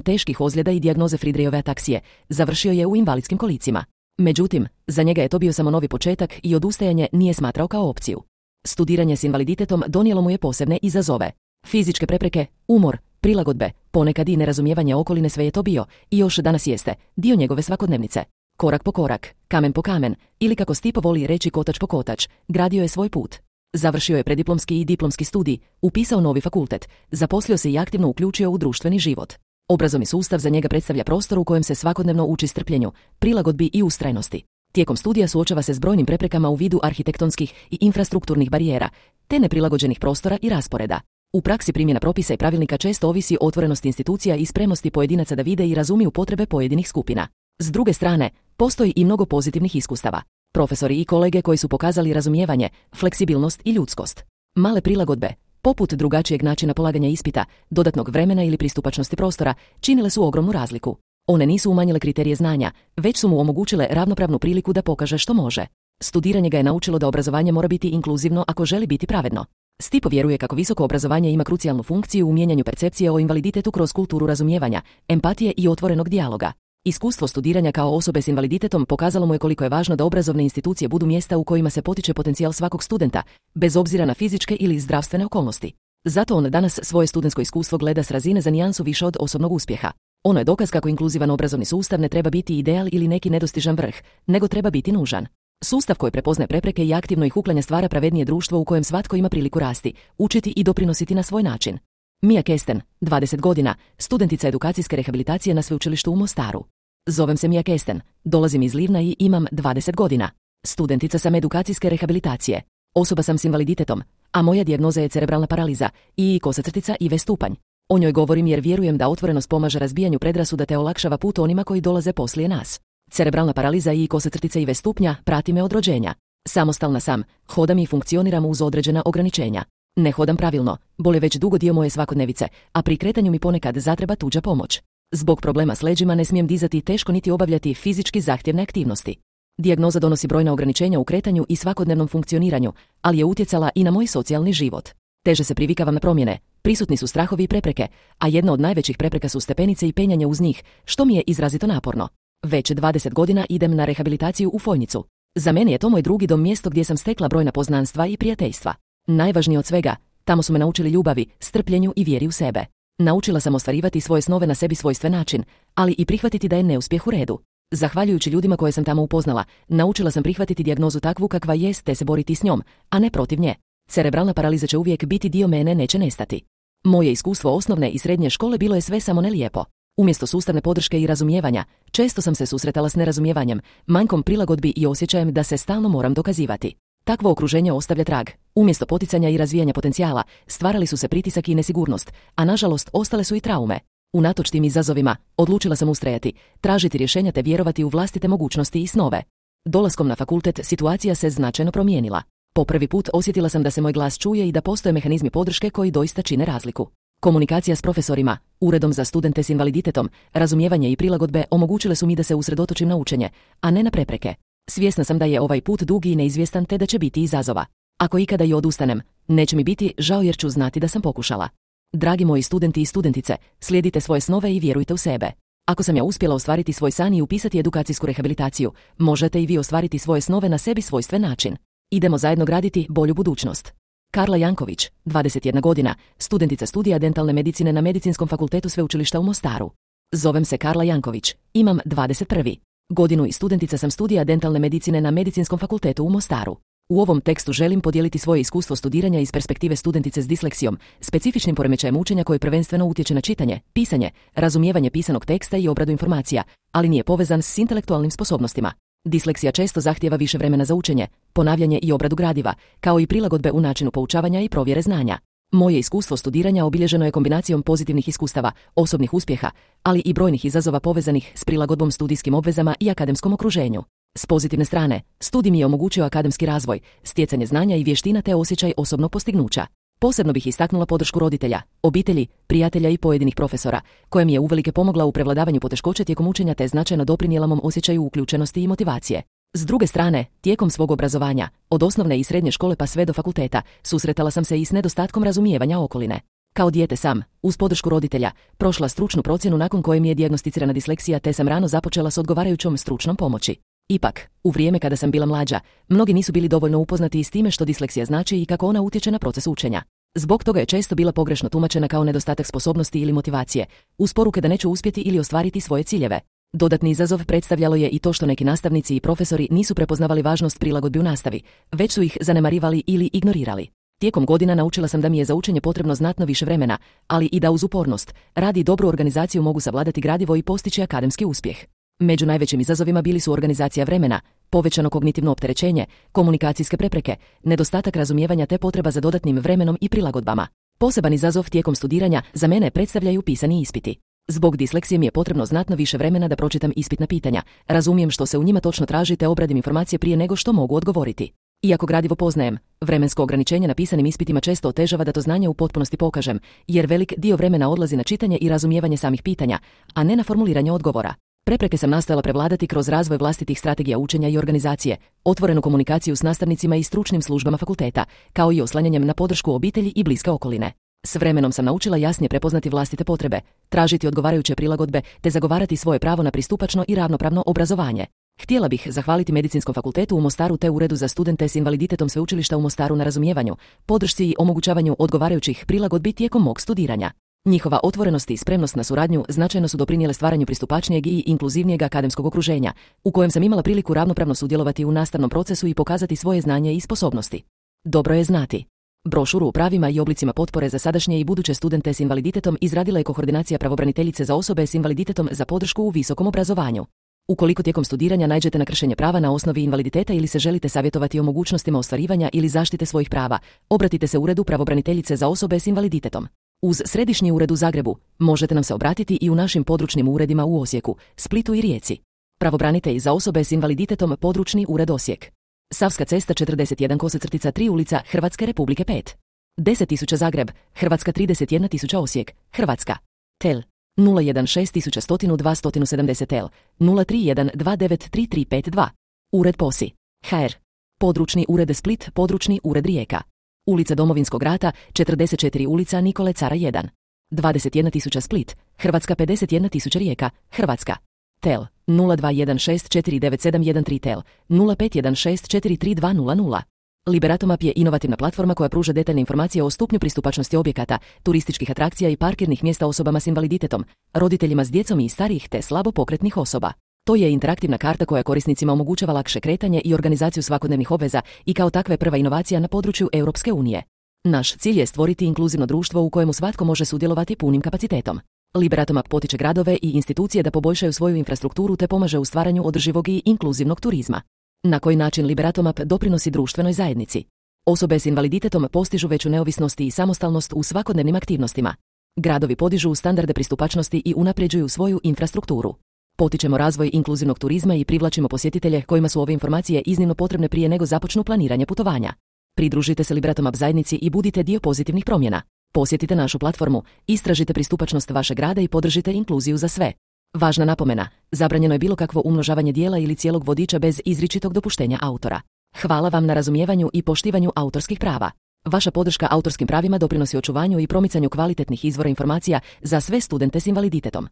teških ozljeda i dijagnoze Friedreichove ataksije, završio je u invalidskim kolicima. Međutim, za njega je to bio samo novi početak i odustajanje nije smatrao kao opciju. Studiranje s invaliditetom donijelo mu je posebne izazove. Fizičke prepreke, umor, prilagodbe, ponekad i nerazumijevanje okoline, sve je to bio, i još danas jeste, dio njegove svakodnevnice. Korak po korak, kamen po kamen, ili kako Stipo voli reći kotač po kotač, gradio je svoj put. Završio je prediplomski i diplomski studij, upisao novi fakultet, zaposlio se i aktivno uključio u društveni život. Obrazovni sustav za njega predstavlja prostor u kojem se svakodnevno uči strpljenju, prilagodbi i ustrajnosti. Tijekom studija suočava se s brojnim preprekama u vidu arhitektonskih i infrastrukturnih barijera, te neprilagođenih prostora i rasporeda. U praksi primjena propisa i pravilnika često ovisi o otvorenosti institucija i spremnosti pojedinaca da vide i razumiju potrebe pojedinih skupina. S druge strane, postoji i mnogo pozitivnih iskustava. Profesori i kolege koji su pokazali razumijevanje, fleksibilnost i ljudskost. Male prilagodbe, poput drugačijeg načina polaganja ispita, dodatnog vremena ili pristupačnosti prostora, činile su ogromnu razliku. One nisu umanjile kriterije znanja, već su mu omogućile ravnopravnu priliku da pokaže što može. Studiranje ga je naučilo da obrazovanje mora biti inkluzivno ako želi biti pravedno. Stipo vjeruje kako visoko obrazovanje ima krucijalnu funkciju u mijenjanju percepcije o invaliditetu kroz kulturu razumijevanja, empatije i otvorenog dijaloga. Iskustvo studiranja kao osobe s invaliditetom pokazalo mu je koliko je važno da obrazovne institucije budu mjesta u kojima se potiče potencijal svakog studenta, bez obzira na fizičke ili zdravstvene okolnosti. Zato on danas svoje studentsko iskustvo gleda s razine za nijansu više od osobnog uspjeha. Ono je dokaz kako inkluzivan obrazovni sustav ne treba biti ideal ili neki nedostižan vrh, nego treba biti nužan. Sustav koji prepoznaje prepreke i aktivno ih uklanja stvara pravednije društvo u kojem svatko ima priliku rasti, učiti i doprinositi na svoj način. Mia Kesten, dvadeset godina, studentica edukacijske rehabilitacije na sveučilištu u Mostaru. Zovem se Mia Kesten, dolazim iz Livna i imam dvadeset godina. Studentica sam edukacijske rehabilitacije. Osoba sam s invaliditetom, a moja dijagnoza je cerebralna paraliza i kosacrtica I V stupanj. O njoj govorim jer vjerujem da otvorenost pomaže razbijanju predrasuda te olakšava put onima koji dolaze poslije nas. Cerebralna paraliza i kosacrtica I V stupnja prati me od rođenja. Samostalna sam, hodam i funkcioniram uz određena ograničenja. Ne hodam pravilno, bol je već dugo dio moje svakodnevice, a pri kretanju mi ponekad zatreba tuđa pomoć. Zbog problema s leđima ne smijem dizati teško niti obavljati fizički zahtjevne aktivnosti. Dijagnoza donosi brojna ograničenja u kretanju i svakodnevnom funkcioniranju, ali je utjecala i na moj socijalni život. Teže se privikavam na promjene, prisutni su strahovi I prepreke, a jedna od najvećih prepreka su stepenice i penjanje uz njih, što mi je izrazito naporno. Već dvadeset godina idem na rehabilitaciju u Fojnicu. Za mene je to moj drugi dom, mjesto gdje sam stekla brojna poznanstva i prijateljstva. Najvažnije od svega, tamo su me naučili ljubavi, strpljenju i vjeri u sebe. Naučila sam ostvarivati svoje snove na sebi svojstven način, ali i prihvatiti da je neuspjeh u redu. Zahvaljujući ljudima koje sam tamo upoznala, naučila sam prihvatiti dijagnozu takvu kakva jest te se boriti s njom, a ne protiv nje. Cerebralna paraliza će uvijek biti dio mene, neće nestati. Moje iskustvo osnovne i srednje škole bilo je sve samo ne lijepo. Umjesto sustavne podrške i razumijevanja, često sam se susretala s nerazumijevanjem, manjkom prilagodbi i osjećajem da se stalno moram dokazivati. Takvo okruženje ostavlja trag. Umjesto poticanja i razvijanja potencijala, stvarali su se pritisak i nesigurnost, a nažalost ostale su i traume. Unatoč tim izazovima, odlučila sam ustrajati, tražiti rješenja te vjerovati u vlastite mogućnosti i snove. Dolaskom na fakultet situacija se značajno promijenila. Po prvi put osjetila sam da se moj glas čuje i da postoje mehanizmi podrške koji doista čine razliku. Komunikacija s profesorima, uredom za studente s invaliditetom, razumijevanje i prilagodbe omogućile su mi da se usredotočim na učenje, a ne na prepreke. Svjesna sam da je ovaj put dugi i neizvjestan te da će biti izazova. Ako ikada i odustanem, neće mi biti žao jer ću znati da sam pokušala. Dragi moji studenti i studentice, slijedite svoje snove i vjerujte u sebe. Ako sam ja uspjela ostvariti svoj san i upisati edukacijsku rehabilitaciju, možete i vi ostvariti svoje snove na sebi svojstven način. Idemo zajedno graditi bolju budućnost. Karla Janković, dvadeset jedna godina, studentica studija dentalne medicine na Medicinskom fakultetu Sveučilišta u Mostaru. Zovem se Karla Janković, imam dvadeset prvu godinu i studentica sam studija dentalne medicine na Medicinskom fakultetu u Mostaru. U ovom tekstu želim podijeliti svoje iskustvo studiranja iz perspektive studentice s disleksijom, specifičnim poremećajem učenja koje prvenstveno utječe na čitanje, pisanje, razumijevanje pisanog teksta i obradu informacija, ali nije povezan s intelektualnim sposobnostima. Disleksija često zahtijeva više vremena za učenje, ponavljanje i obradu gradiva, kao i prilagodbe u načinu poučavanja i provjere znanja. Moje iskustvo studiranja obilježeno je kombinacijom pozitivnih iskustava, osobnih uspjeha, ali i brojnih izazova povezanih s prilagodbom studijskim obvezama i akademskom okruženju. S pozitivne strane, studij mi je omogućio akademski razvoj, stjecanje znanja i vještina te osjećaj osobnog postignuća. Posebno bih istaknula podršku roditelja, obitelji, prijatelja i pojedinih profesora, koja mi je uvelike pomogla u prevladavanju poteškoća tijekom učenja te značajno doprinijela mom osjećaju uključenosti i motivacije. S druge strane, tijekom svog obrazovanja, od osnovne i srednje škole pa sve do fakulteta, susretala sam se i s nedostatkom razumijevanja okoline. Kao dijete sam, uz podršku roditelja, prošla stručnu procjenu nakon koje mi je dijagnosticirana disleksija te sam rano započela s odgovarajućom stručnom pomoći. Ipak, u vrijeme kada sam bila mlađa, mnogi nisu bili dovoljno upoznati i s time što disleksija znači i kako ona utječe na proces učenja. Zbog toga je često bila pogrešno tumačena kao nedostatak sposobnosti ili motivacije, uz poruke da neću uspjeti ili ostvariti svoje ciljeve. Dodatni izazov predstavljalo je i to što neki nastavnici i profesori nisu prepoznavali važnost prilagodbi u nastavi, već su ih zanemarivali ili ignorirali. Tijekom godina naučila sam da mi je za učenje potrebno znatno više vremena, ali i da uz upornost, rad i dobru organizaciju mogu savladati gradivo i postići akademski uspjeh. Među najvećim izazovima bili su organizacija vremena, povećano kognitivno opterećenje, komunikacijske prepreke, nedostatak razumijevanja te potreba za dodatnim vremenom i prilagodbama. Poseban izazov tijekom studiranja za mene predstavljaju pisani ispiti. Zbog disleksije mi je potrebno znatno više vremena da pročitam ispitna pitanja, razumijem što se u njima točno traži te obradim informacije prije nego što mogu odgovoriti. Iako gradivo poznajem, vremensko ograničenje na pisanim ispitima često otežava da to znanje u potpunosti pokažem, jer velik dio vremena odlazi na čitanje i razumijevanje samih pitanja, a ne na formuliranje odgovora. Prepreke sam nastojala prevladati kroz razvoj vlastitih strategija učenja i organizacije, otvorenu komunikaciju s nastavnicima i stručnim službama fakulteta, kao i oslanjanjem na podršku obitelji i bliske okoline. S vremenom sam naučila jasnije prepoznati vlastite potrebe, tražiti odgovarajuće prilagodbe te zagovarati svoje pravo na pristupačno i ravnopravno obrazovanje. Htjela bih zahvaliti Medicinskom fakultetu u Mostaru te Uredu za studente s invaliditetom Sveučilišta u Mostaru na razumijevanju, podršci i omogućavanju odgovarajućih prilagodbi tijekom mog studiranja. Njihova otvorenost i spremnost na suradnju značajno su doprinijele stvaranju pristupačnijeg i inkluzivnijeg akademskog okruženja, u kojem sam imala priliku ravnopravno sudjelovati u nastavnom procesu i pokazati svoje znanje i sposobnosti. Dobro je znati. Brošuru o pravima i oblicima potpore za sadašnje i buduće studente s invaliditetom izradila je koordinacija pravobraniteljice za osobe s invaliditetom za podršku u visokom obrazovanju. Ukoliko tijekom studiranja naiđete na kršenje prava na osnovi invaliditeta ili se želite savjetovati o mogućnostima ostvarivanja ili zaštite svojih prava, obratite se Uredu pravobraniteljice za osobe s invaliditetom. Uz središnji ured u Zagrebu možete nam se obratiti i u našim područnim uredima u Osijeku, Splitu i Rijeci. Pravobranitelj za osobe s invaliditetom, područni ured Osijek. Savska cesta četrdeset jedan kosacrtica tri ulica Hrvatske Republike pet. deset tisuća Zagreb, Hrvatska trideset jedna tisuća Osijek, Hrvatska. Tel nula jedan šest tisuća sto dva sto sedamdeset tel, nula tri jedan dva devet tri tri pet dva. Ured Posi. ha er. Područni ured Split, područni ured Rijeka. Ulica Domovinskog rata, četrdeset četiri ulica Nikole Cara jedan. dvadeset jedna tisuća Split, Hrvatska pedeset jedna tisuća Rijeka, Hrvatska. Tel nula dva jedan šest četiri devet sedam jedan tri tel, nula pet jedan šest četiri tri dva nula nula. Liberatomap je inovativna platforma koja pruža detaljne informacije o stupnju pristupačnosti objekata, turističkih atrakcija i parkirnih mjesta osobama s invaliditetom, roditeljima s djecom i starijih te slabo pokretnih osoba. To je interaktivna karta koja korisnicima omogućava lakše kretanje i organizaciju svakodnevnih obveza i kao takve prva inovacija na području Europske unije. Naš cilj je stvoriti inkluzivno društvo u kojemu svatko može sudjelovati punim kapacitetom. Liberatomap potiče gradove i institucije da poboljšaju svoju infrastrukturu te pomaže u stvaranju održivog i inkluzivnog turizma. Na koji način Liberatomap doprinosi društvenoj zajednici? Osobe s invaliditetom postižu veću neovisnost i samostalnost u svakodnevnim aktivnostima. Gradovi podižu standarde pristupačnosti i unapređuju svoju infrastrukturu. Potičemo razvoj inkluzivnog turizma i privlačimo posjetitelje kojima su ove informacije iznimno potrebne prije nego započnu planiranje putovanja. Pridružite se Liberatomap zajednici i budite dio pozitivnih promjena. Posjetite našu platformu, istražite pristupačnost vašeg grada i podržite inkluziju za sve. Važna napomena, zabranjeno je bilo kakvo umnožavanje dijela ili cijelog vodiča bez izričitog dopuštenja autora. Hvala vam na razumijevanju i poštivanju autorskih prava. Vaša podrška autorskim pravima doprinosi očuvanju i promicanju kvalitetnih izvora informacija za sve studente s invaliditetom.